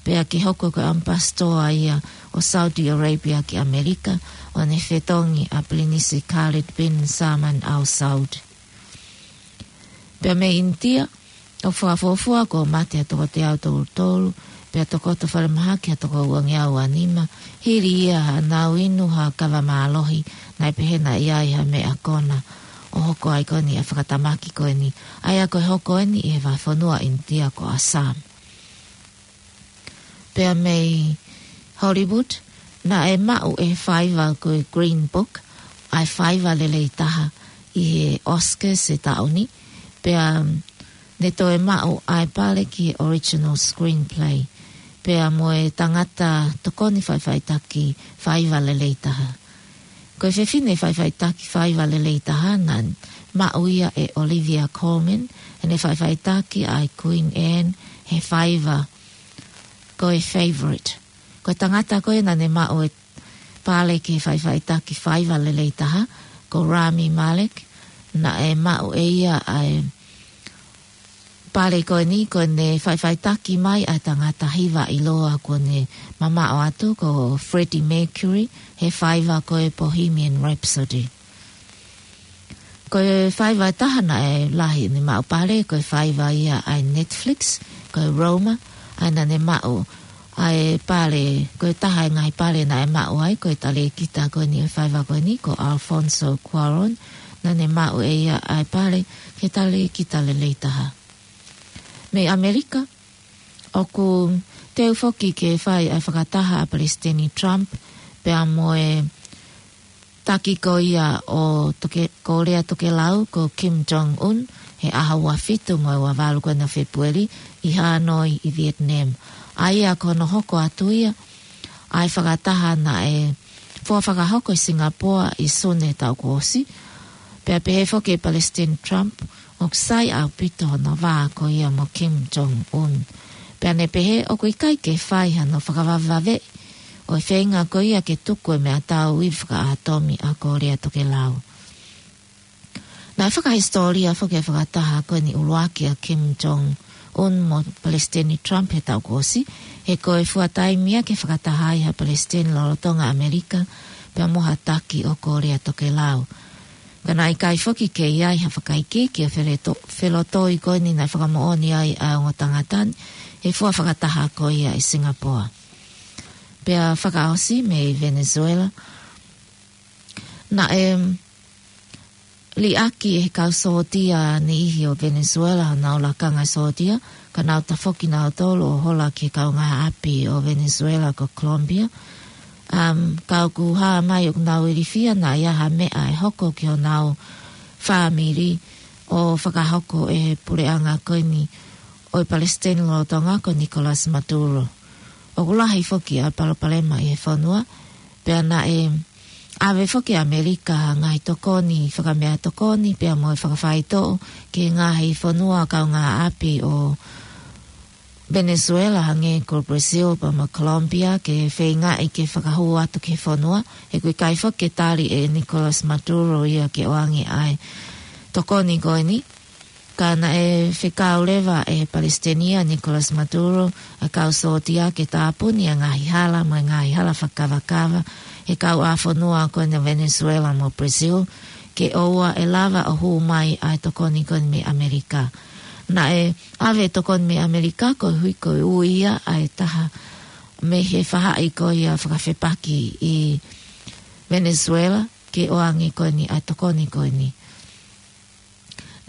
pea ke hoko ko e ʻamipasitoa ia ʻo Saudi Arabia ki ʻAmelika, ʻo ne fetongi ʻa Pilinisi Khalid bin Salman Al Saud. Pea mei ʻInitia, ʻoku fakafuofua kuo mate ha toko teau tolu tolu, pea tokoto falemahaki ha toko uangeau uanima, hili ia haʻanau inu ha kava mālohi naʻe pehē naʻe ʻi ai ha meʻa kona, ʻo hoko ai ko eni ʻa e fakatamaki ko eni, ʻa ia ko e hoko eni ʻi he vahefonua ʻInitia ko Assam. Pea mei Hollywood, naʻe maʻu ʻe he faiva ko e Green Book ʻa e faiva lelei taha ʻi he Oscars ʻo e taʻu ni, pea ne toe maʻu ʻa e pale ki he original screenplay, pea mo e tangata tokoni faʻifaʻitaki faiva lelei taha. Ko e fefine faʻifaʻitaki faiva lelei taha naʻe maʻu ia ʻe Olivia Colman, heʻene faʻifaʻitaki ʻa e Queen Anne he faiva ko e Favourite. Ko e tangata ko ē naʻa ne maʻu e pale ki he faʻifaʻitaki faiva lelei taha, ko Rami Malek, naʻe maʻu ʻe ia ʻa e pale ko eni, ko ʻene faʻifaʻitaki mai ʻa e tangata hiva ʻiloa kuo ne mamaʻo atu, ko Freddie Mercury, he faiva ko e Bohemian Rhapsody. Ko e faiva ʻe taha naʻe lahi ʻene maʻu pale, ko e faiva ia ʻa e Netflix, ko e Roma, ʻa ia naʻa ne maʻu ʻa e pale, ko e taha e ngaahi pale naʻe maʻu ai, ko e talēkita ko eni ʻo e faiva ko eni, ko Alfonso Cuarón, naʻa ne maʻu ʻe ia ʻa e pale ki he talēkita lelei taha. Mei ʻAmelika, ʻoku teu foki ke fai ʻa e fakataha ʻa Palesiteni Trump, pea mo e taki ko ia ʻo Toke-, Kōlea Tokelau ko Kim Jong-un, he ʻaho ua fitu mo e ua valu ko ena Fēpueli ʻi Hanoi ʻi Vietnam. ʻA ia ko hono hoko atu ia ʻa e fakataha naʻe fua fakahoko ʻi Singapore ʻi Sune taʻu kuo ʻosi, pea pehē foki ʻe Palesiteni Trump, ʻoku sai ʻaupito hono vā ko ia mo Kim Jong-un. Pea ne pehē ʻoku ʻikai ke fai hano fakavavevave ʻo e feinga ko ia ke tuku e meʻatau ivi fakaʻātomi ʻa Kōlea Tokelau. Naʻe fakahisitōlia foki e fakataha ko eni ʻuluaki ʻa Kim Jong-un mo Palesiteni Trump he taʻu kuo ʻosi, he ko e fuataimi ia ke fakataha ai ha palesiteni lolotonga ʻAmelika pea mo ha taki ʻo Kōlea Tokelau. Ka naʻe ʻikai foki ke ʻi ai ha fakaikiiki ʻo e feleto-, felotoi ko eni naʻe fakamoʻoni ai ʻa e ongo tangata ni he fua fakataha ko ia ʻi Singapore. Pea fakaʻosi mei Venezuela, naʻe liʻaki ʻe he kau sōtia niʻihi ʻo Venezuela honau lakanga sōtia, ka nau tafoki nautolu ʻo hola ki he kaungāʻapi ʻo Venezuela ko Colombia. Um, ka ʻoku hā mai ʻoku nau ilifia naʻe ʻi ai ha meʻa ʻe hoko ki honau fāmili ʻo fakahoko ʻe he puleʻanga ko eni ʻo e palesiteni lolotonga ko Nicolas Maduro. ʻOku lahi foki ʻa e palopalema ʻi he fonua, pea naʻe ʻave foki ʻe ʻAmelika ha ngaahi tokoni fakameʻatokoni pea mo e fakafaitoʻo ki he ngaahi fonua kaungāʻapi ʻo Venezuela hangē ko Brazil pea mo Colombia ke feingaʻi ke fakahū atu ki he fonua, he ʻoku ʻikai foki ke tali ʻe Nicolas Maduro ia ke ʻoange ʻa e tokoni ko eni. Ka naʻe fekau leva ʻe he Palesiteni ʻa Nicolas Maduro ʻa e kau sōtia ke tāpuni ʻa e ngaahi hala mo e ngaahi hala fakakavakava ʻa e kau ʻā fonua ko eni ʻo Venezuela mo Brazil, ke ʻoua ʻe lava ʻo hū mai ʻa e tokoni ko eni mei ʻAmelika. Naʻe ʻave tokoni mei ʻAmelika koeʻuhi ko e ui ia ʻa e taha mei he faʻahi ko ia fakafepaki ʻi Venezuela ke ʻoange ko eni ʻa e tokoni ko eni.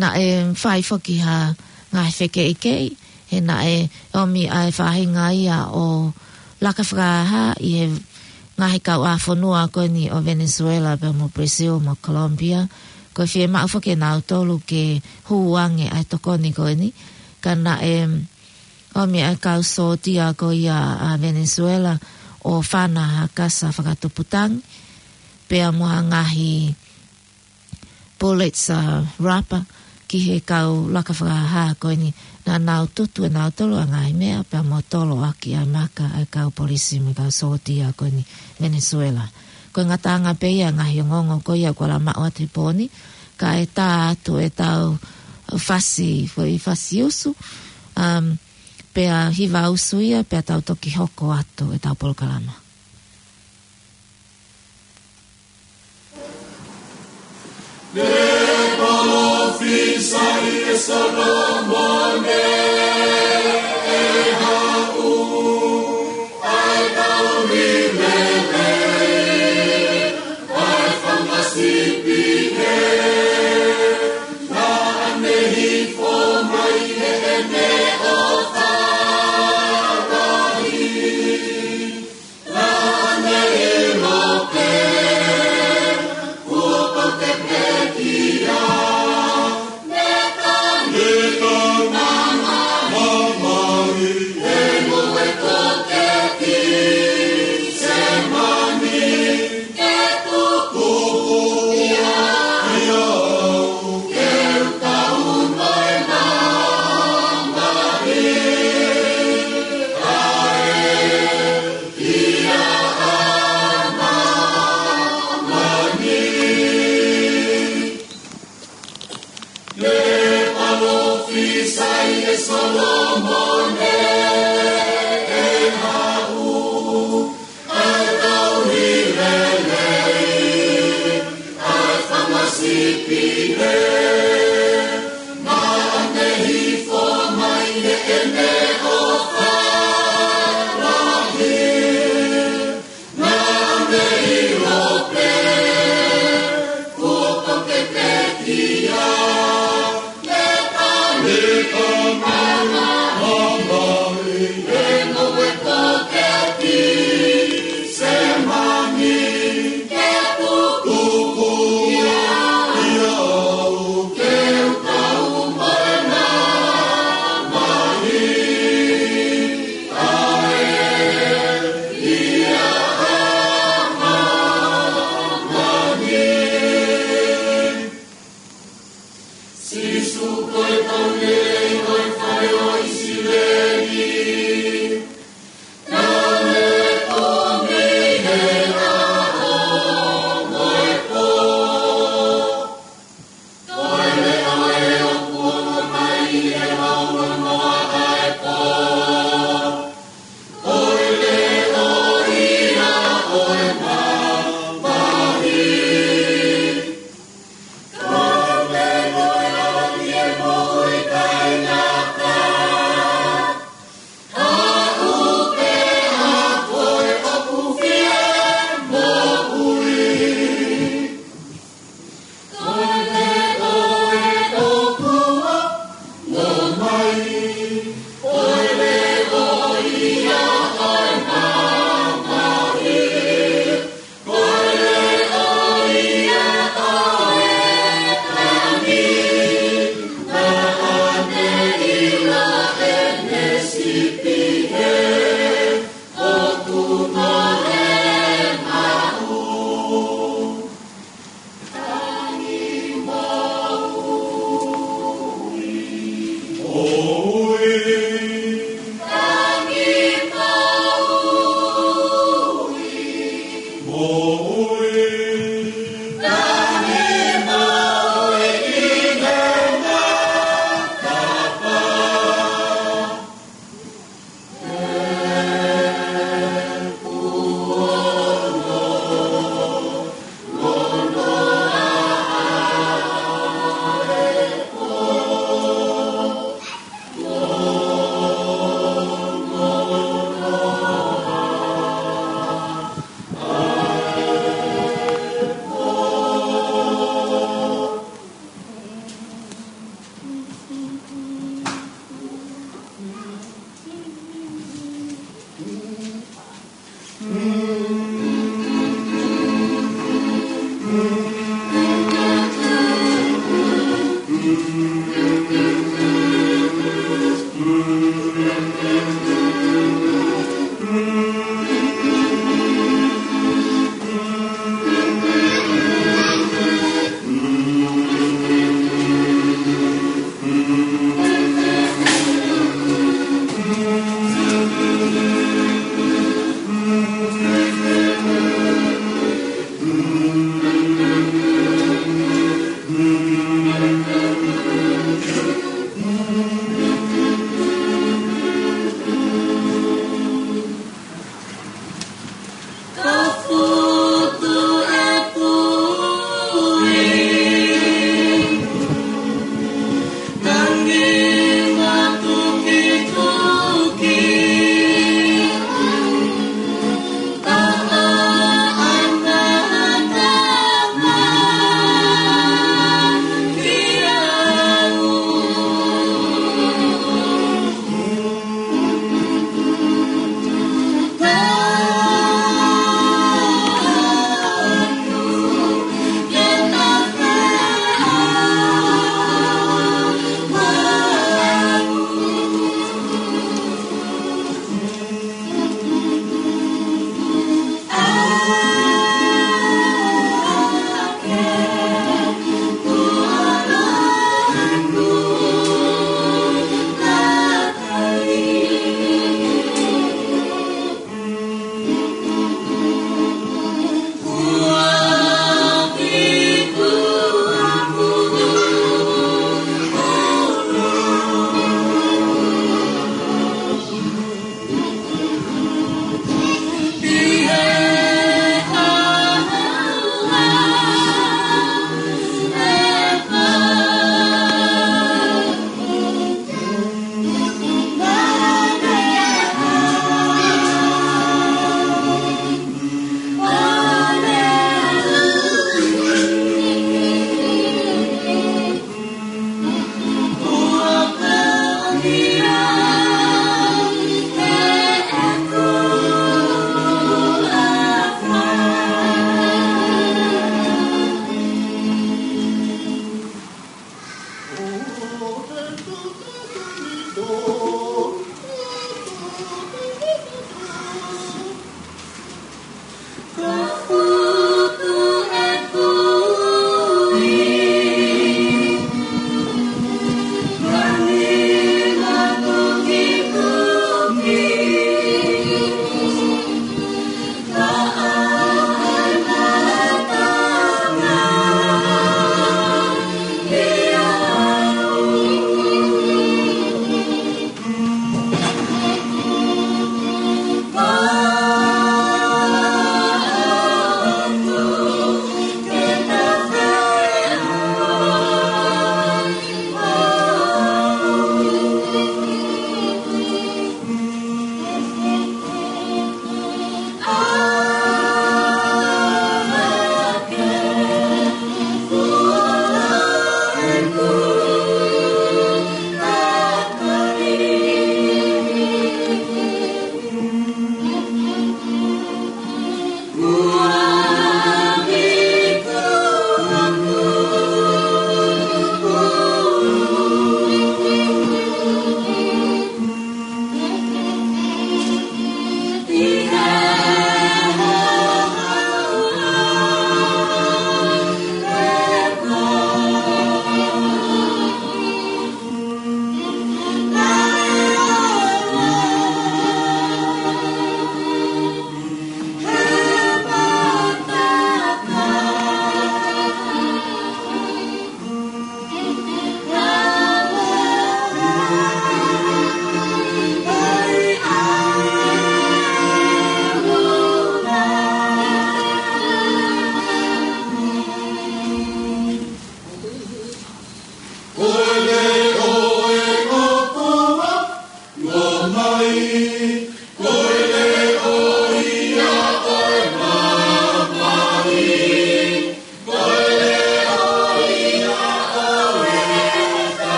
Naʻe fai foki ha ngaahi fekeʻikeʻi, he naʻe ʻomi ʻa e faʻahinga ia ʻo laka fakahā ʻi he ngaahi kau ʻā fonua ko eni ʻo Venezuela pea mo Brazil mo Colombia, ko e fiemaʻu foki ʻe nautolu ke hū ange ʻa e tokoni ko eni. Ka naʻe ʻomi ʻa e kau sōtia ko ia ʻa Venezuela ʻo fana ha kasa fakatuputangi pea mo ha ngaahi bullets, ʻa, rapa ki he kau laka fakahā ko eni. Naʻa nau tutu ʻe nautolu ʻa e ngaahi meʻa pea mo tolo ʻaki ʻa e maka ʻa e kau polisi mo e kau sōtia ko eni Venezuela. Ko e ngataʻanga pē ia ʻa e ngaahi ongoongo ko ia kuo lava maʻu atu he pō ni, kae tā atu ʻetau fasi, foʻi fasi usu, um, pea hiva usu ia, pea tau toki hoko atu ʻetau polokalama. Ne palōfisai ʻe Solomone ʻe haʻu ʻa e kauri lelei, ʻa e fanga sipi ē, naʻa ne hifo mai heʻene ʻofa lahi. Ne palōfisai ʻe Solomone ʻe haʻu ʻa e kauri lelei, ʻa e fanga sipi ē, naʻa ne hifo mai heʻene ʻofa lahi. Sīsū ko e Taulelei ʻo e fale ʻo ʻIsileli. Naʻa ne kumi he ʻaho mo e pō. Ko e leʻo ʻoku ʻomai ʻe he lauʻi noa ʻa e pō. Ko e leʻo ia ʻo e mamahi. Ko e leʻo ia ʻo e moʻui taʻengata. Aʻu pē ʻa koe ʻoku fie moʻui. Ko e leʻo ʻoku ʻomai, ko e leʻo ia ʻo e mamahi. Ko e leʻo ia ʻo e tangi, naʻa ne ʻilo ʻene sipi ē, ʻoku nau maʻu. Tangi moʻui. Moʻui.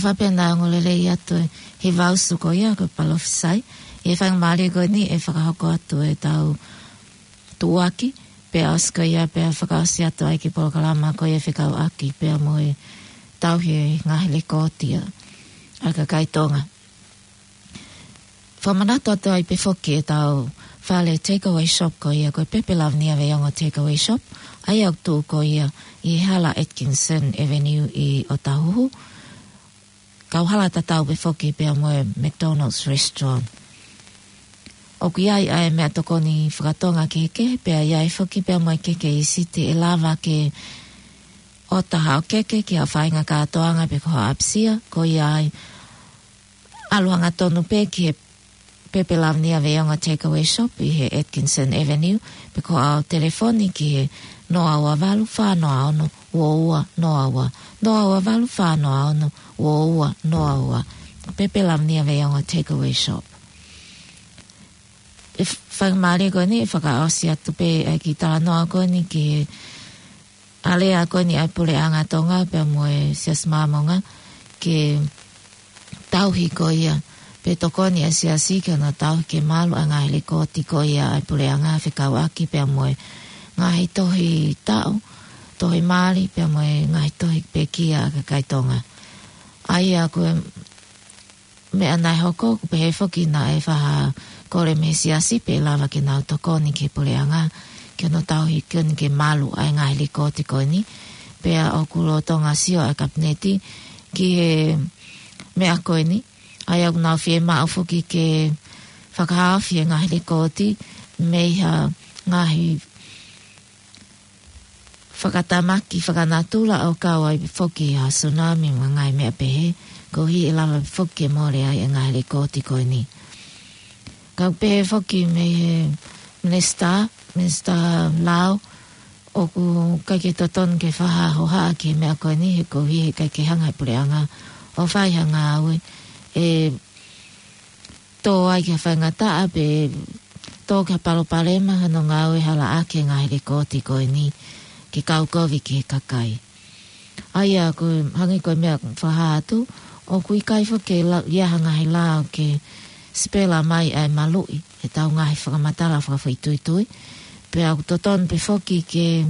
ʻOfa pē naʻa ngolelei atu e hiva usu ko ia ko e palōfisai. ʻI he faingamālie ko eni ʻe fakahoko atu ʻetau tuʻuaki, pea ʻosi ko ia pea fakaʻosi atu ai ki he polokalama ko ia fekauʻaki pea mo e tauhi e ngaahi lekooti ʻa e kakai Tonga. Fakamanatu atu ai pē foki ʻetau fale takeaway shop ko ia ko e Pepe Lavinia Veiongo Takeaway Shop, ʻa ia ʻoku tuʻu ko ia ʻi he Hala Atkinson Avenue ʻi ʻŌtāhuhu, kauhala tatau pē foki pea mo e McDonald's Restaurant. ʻOku ʻi ai ʻa e meʻatokoni fakatonga kehekehe, pea ʻi ai foki pea mo e keke ʻīsite ʻe lava ke ʻota haʻo keke ki haʻo faʻahinga kātoanga pe ko haʻo ʻapisia, ko ia ai ʻalu hangatonu pē ki he Pepe Lavinia Veiongo Takeaway Shop ʻi he Atkinson Avenue, pe ko haʻo telefoni ki he noa ua valu, fā noa ono, ua ua noa ua, noa ua valu, fā noa ono, ua ua noa ua. Pepe Lavinia Veiongo Takeaway Shop. ʻE f-, faingamālie ko eni ʻe fakaʻosi atu pē ʻa e kiʻi talanoa ko eni ki he alea ko eni ʻa e Puleʻanga Tonga pea mo e Siasi Māmonga ke tauhi ko ia, pe tokoni ʻa e Siasi ke na tauhi ke malu ʻa e ngaahi lekooti ko ia ʻa e Puleʻanga fekauʻaki pea mo e ngaahi tohi taʻu, tohi mali, pea mo e ngaahi tohi pekia ʻa e kakai Tonga. ʻA ia ko e meʻa naʻe hoko, ʻoku pehē foki naʻe fakakole mei he siasi pe ʻe lava ke nau tokoni ki he puleʻanga, ke nau tauhi ko eni ke malu ʻa e ngaahi lēkooti ko eni. Pea ʻoku lolotonga sio ʻa e kapineti ki he meʻa ko eni. ʻA ia ʻoku nau fiemaʻu foki ke fakahaofi e ngaahi lēkooti mei ha ngaahi fakatamaki fakanatula ʻo kau ai foki ha tsunami mo e ngaahi meʻa pehē, koeʻuhi ʻe lava foki ke mole ai e ngaahi lēkooti ko eni. Ka ʻoku pehē foki mei he minisitā, minisitā lao, ʻoku ʻikai ke totonu ke fakahohaʻa ki he meʻa ko eni, he koeʻuhi he ʻikai ke hanga he puleʻanga ʻo fai ha ngāue ʻe tō ai ki ha faingataʻa pe tō ki ha palopalema hano ngāue hala ʻaki e ngaahi lēkooti ko eni ke kaukovi ki he kakai. ʻA ia ko e hangē ko e meʻa fakahā atu, ʻoku ʻikai foki ke la-, ʻi ai ha ngaahi lao ke sipela mai ʻa e maluʻi ʻetau ngaahi fakamatala fakafoʻituitui. Pea ʻoku totonu pē foki ke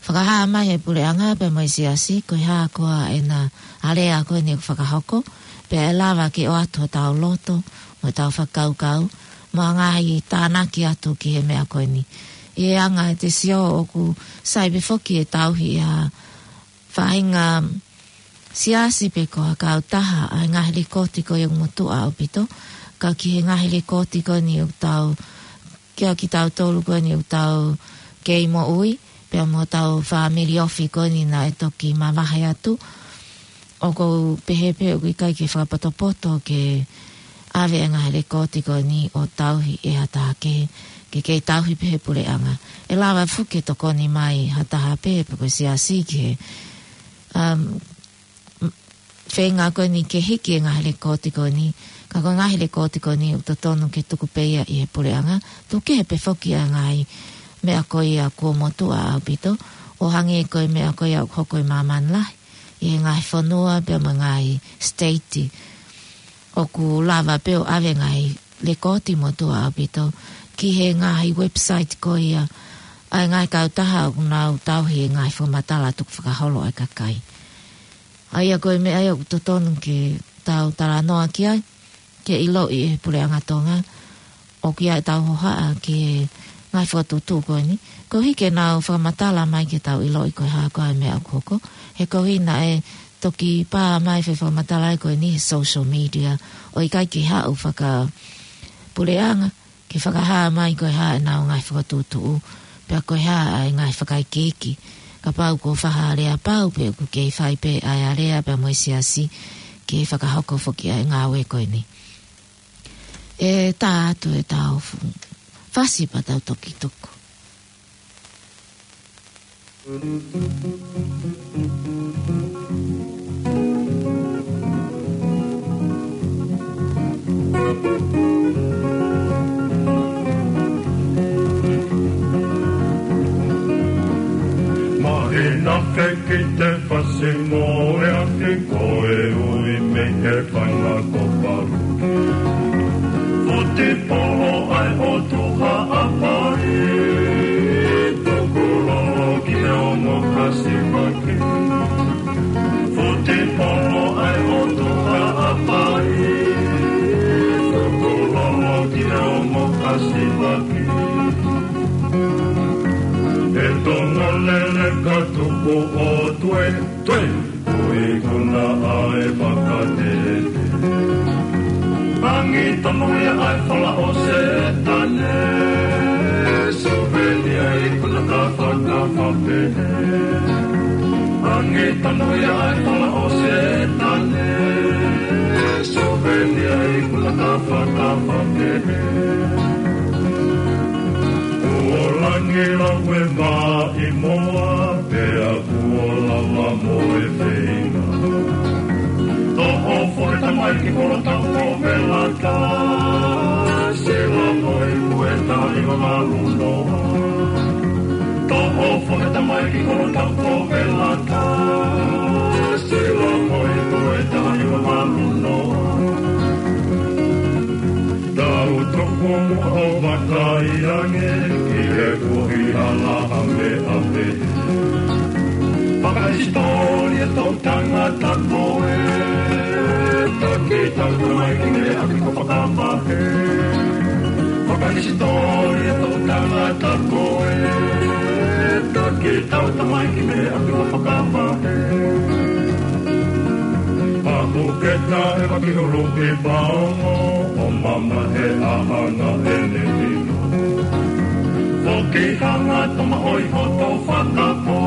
fakahā mai he puleʻanga pea mo e siasi, ko e hā koā ʻena alea ko eni ʻoku fakahoko, pea ʻe lava ke ʻoatu hotau loto, mo ʻetau fakakaukau, mo e ngaahi tānaki atu ki he meʻa ko eni. ʻI he anga ʻete sio ʻoku sai pē foki e tauhi ʻe ha faʻahinga siasi pe ko ha kautaha ʻa e ngaahi lēkooti ko ia ʻoku motuʻa ʻaupito, ka ki he ngaahi lēkooti ko eni ʻoku tau, kia kitautolu ko eni ʻoku tau kei moʻui, pea mo hotau fāmili ofi ko eni naʻe toki mavahe atu. ʻOku ou pehē pē ʻoku ʻikai ke fakapotopoto ke ʻave e ngaahi lēkooti ko eni ʻo tauhi ʻe ha taha kehe, ke kei tauhi pē he puleʻanga. ʻE lava foki ke tokoni mai ha taha pē pe ko e siasi ki he, um, feinga ko eni ke hiki e ngaahi lēkooti ko eni, ka ko e ngaahi lēkooti ko eni ʻoku totonu ke tuku pē ia ʻi he puleʻanga, tuku kehe pē foki ʻa e ngaahi meʻa ko ia kuo motuʻa ʻaupito, ʻo hangē ko e meʻa ko ia ʻoku hoko ʻi māmani lahi, ʻi he ngaahi fonua pea mo e ngaahi state. ʻOku lava pē ʻo ʻave ngaahi lēkooti motuʻa ʻaupito ki he ngaahi website ko ia ʻa e ngaahi kautaha ʻoku nau tauhi e ngaahi fakamatala tukufakaholo ʻa e kakai. ʻA ia ko e meʻa ia ʻoku totonu ke tau talanoa ki ai, ke ʻiloʻi ʻe he puleʻanga Tonga, ʻoku ʻi ai ʻetau hohaʻa ki he ngaahi fokotuʻutuʻu ko eni, koeʻuhi ke nau fakamatala mai ke tau ʻiloʻi ko e hā koā e meʻa ʻoku hoko, he koeʻuhi naʻe toki pā mai e foʻi fakamatala ko eni he social media, ʻo ʻikai ke haʻu fakapuleʻanga, ke fakahā mai ko e hā ʻenau ngaahi fokotuʻutuʻu, pea ko e hā ʻa e ngaahi fakaikiiki. Kapau ko e faʻahinga aleapau pē ʻoku kei fai pē ʻa e alea pea mo e siasi ke fakahoko foki ʻa e ngāue ko eni. ʻE tā atu ʻetau fu-, fasi pea tau toki tuku. Mahina fekite fasi mo e afi ko e ui mei he fainga ko Palu. Futi polo ʻa e ʻOtua ʻa Haʻapai, tukulolo ki he ongo kasivaki. Futi polo ʻa e ʻOtua ʻa Haʻapai, tukulolo ki he ongo kasivaki. ʻE Tonga lele ka tuku ʻo tue, tue. Ko e ikuna ʻa e fakatete. Angi tonu ia ʻa e fala ʻo Sētane. Suvenia ikuna ka fakafape. Angi tonu ia ʻa e fala ʻo Sētane. Suvenia ikuna ka fakafape. Kuo langi lau e maʻi moa, pea kuo lava mo e feinga. Toʻo foʻi tamaiki kolo tau ko Velata, sila mo e kueta i mamalu noa. Toʻo foʻi tamaiki kolo tau ko Velata, sila mo e kueta i mamalu noa. Tau toko muʻa ʻo vakai ange ki he kuohila ʻameʻame. Fakahisitōlia tau tangata ko ē, taki tau tamaiki mei he ʻapi ko Fakavahe. Fakahisitōlia tau tangata ko ē, taki tau tamaiki mei he ʻapi ko Fakavahe. Paku ke tae maki hulu ki Paongo, ʻo mamahi ʻa hanga ʻene vino. Foki hanga toma ʻoi hoto fakapō,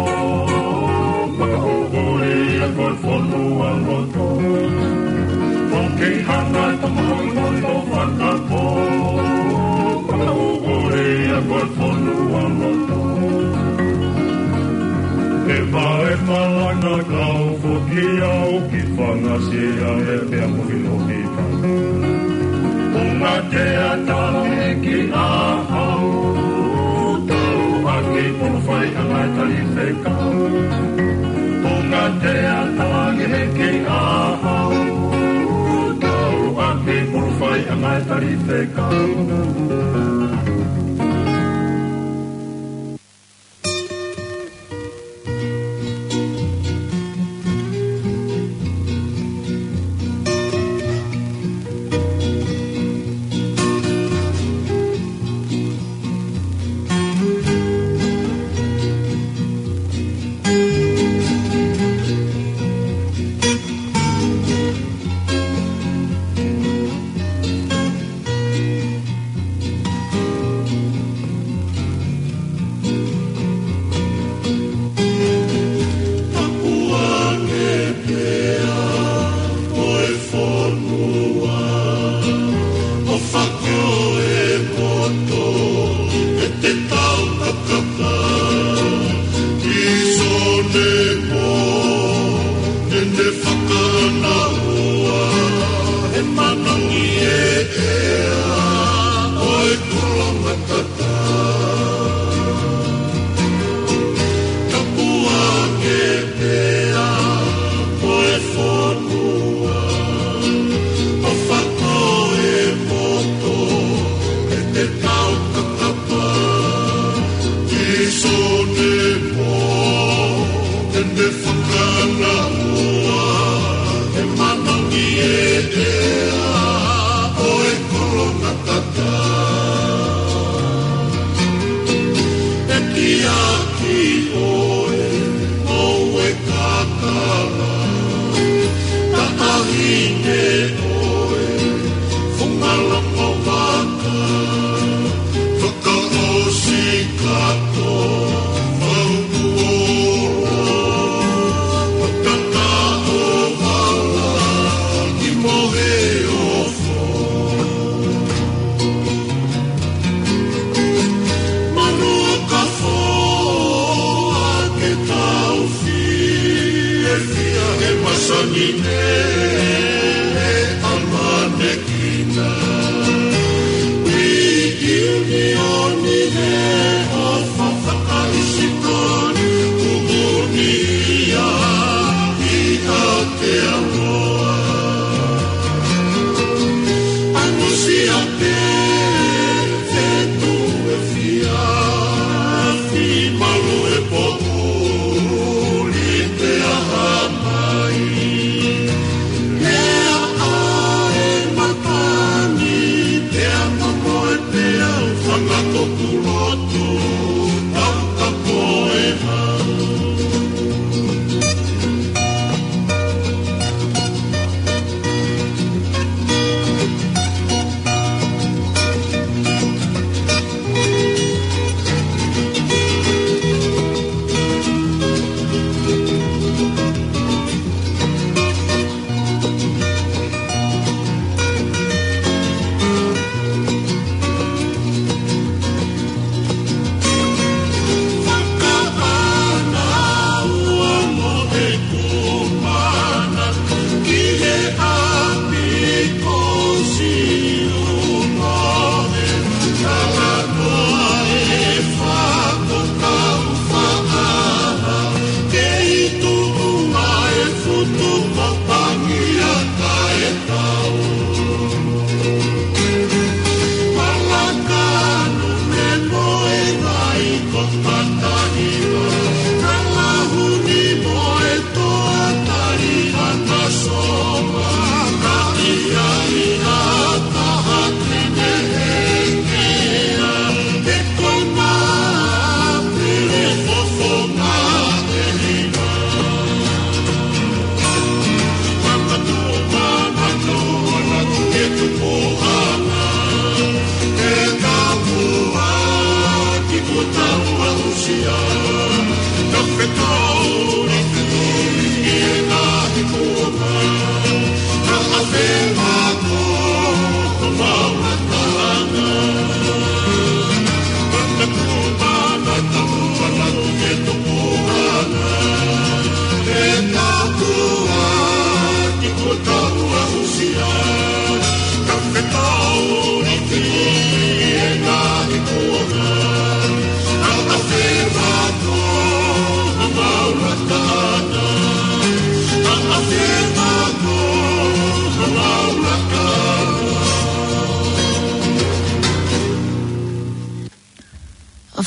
maka ʻuʻuli ʻa ko e fonua loto. Foki hanga toma ʻoi hoto fakapō, maka ʻuʻuli ʻa ko e fonua loto. E vae malanga kau foki au ki Fangasia ʻe pea mo Hilohi. Punga te ata langi ki ʻahau, tau ʻaki pulu fai ʻa ngai tali fekau. Punga te ata langi ki ʻahau, tau ʻaki pulu fai ʻa ngai tali fekau. Tapu ange pea mo e fonua, ʻo fakaʻosi e poto ʻe te tau kakapa. Ki Sone mo ʻene fakaʻanaua, he manangi e ʻea ʻo e koloa matata. Tapu ange pea mo e fonua, ʻo fakaʻosi e poto ʻe te tau kakapa. Ki Sone mo ʻene fakaʻanaua, he manangi e ʻea ʻo e koloa matata. ʻEkiaki ʻoe, ʻoue kakala, taʻahine ʻoe, funga loko vaka, fakaʻosi kato, mahuku ola, matata o vala, ki mohe ofo. Manu ka foa ke tau fiefia he masani ne ʻamanekina. ʻI ʻiunioni he ʻofa fakahisitōlia, ʻuʻuni ia ʻi Aotearoa. ʻAngusia pē fetuʻu efiafi, malu e poʻuli pea hā mai. He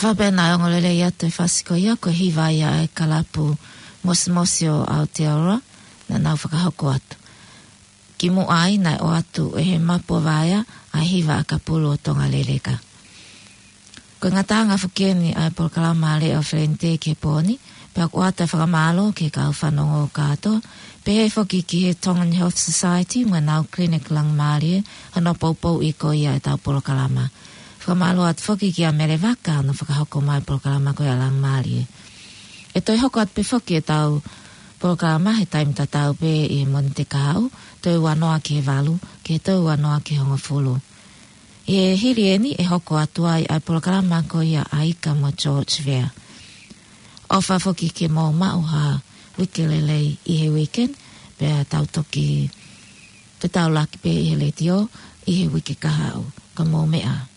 Fakapena e ongo lelei atu e fasi ko ia, ko e hiva ia ʻa e kalapu Mosimosi ʻo Aotearoa, naʻa nau fakahoko atu. Kimuʻa ai naʻe ʻoatu ʻe he Mapu ʻo Vaea ʻa e hiva ʻakapulu ʻo Tonga Leleka. Ko e ngataʻanga foki eni ʻa e polokalama Lea ʻo Felente ki he pō ni, pea ʻoku ʻoatu e fakamālō ki he kau fanongo kātoa, pehē foki ki he Tongan Health Society mo ʻenau clinic Langamalie, hono poupouʻi ko ia ʻetau polokalama. Fakamālō atu foki kia Mele Vaka, hono fakahoko mai e polokalama ko ia Langamalie. ʻE toe hoko atu pē foki ʻetau polokalama he taimi tatau pē ʻi he Mōnite kahaʻu, toe ua noa ki he valu, ki he toe ua noa ki he hongofulu. ʻI he hili eni ʻe hoko atu ai ʻa e polokalama ko ia ʻa Ika mo George Vea. ʻOfa foki ke mou maʻu ha uike lelei ʻi he weekend, pea tau toki fetaulaki pē ʻi he letiō ʻi he uike kahaʻu. Ka mou meʻa.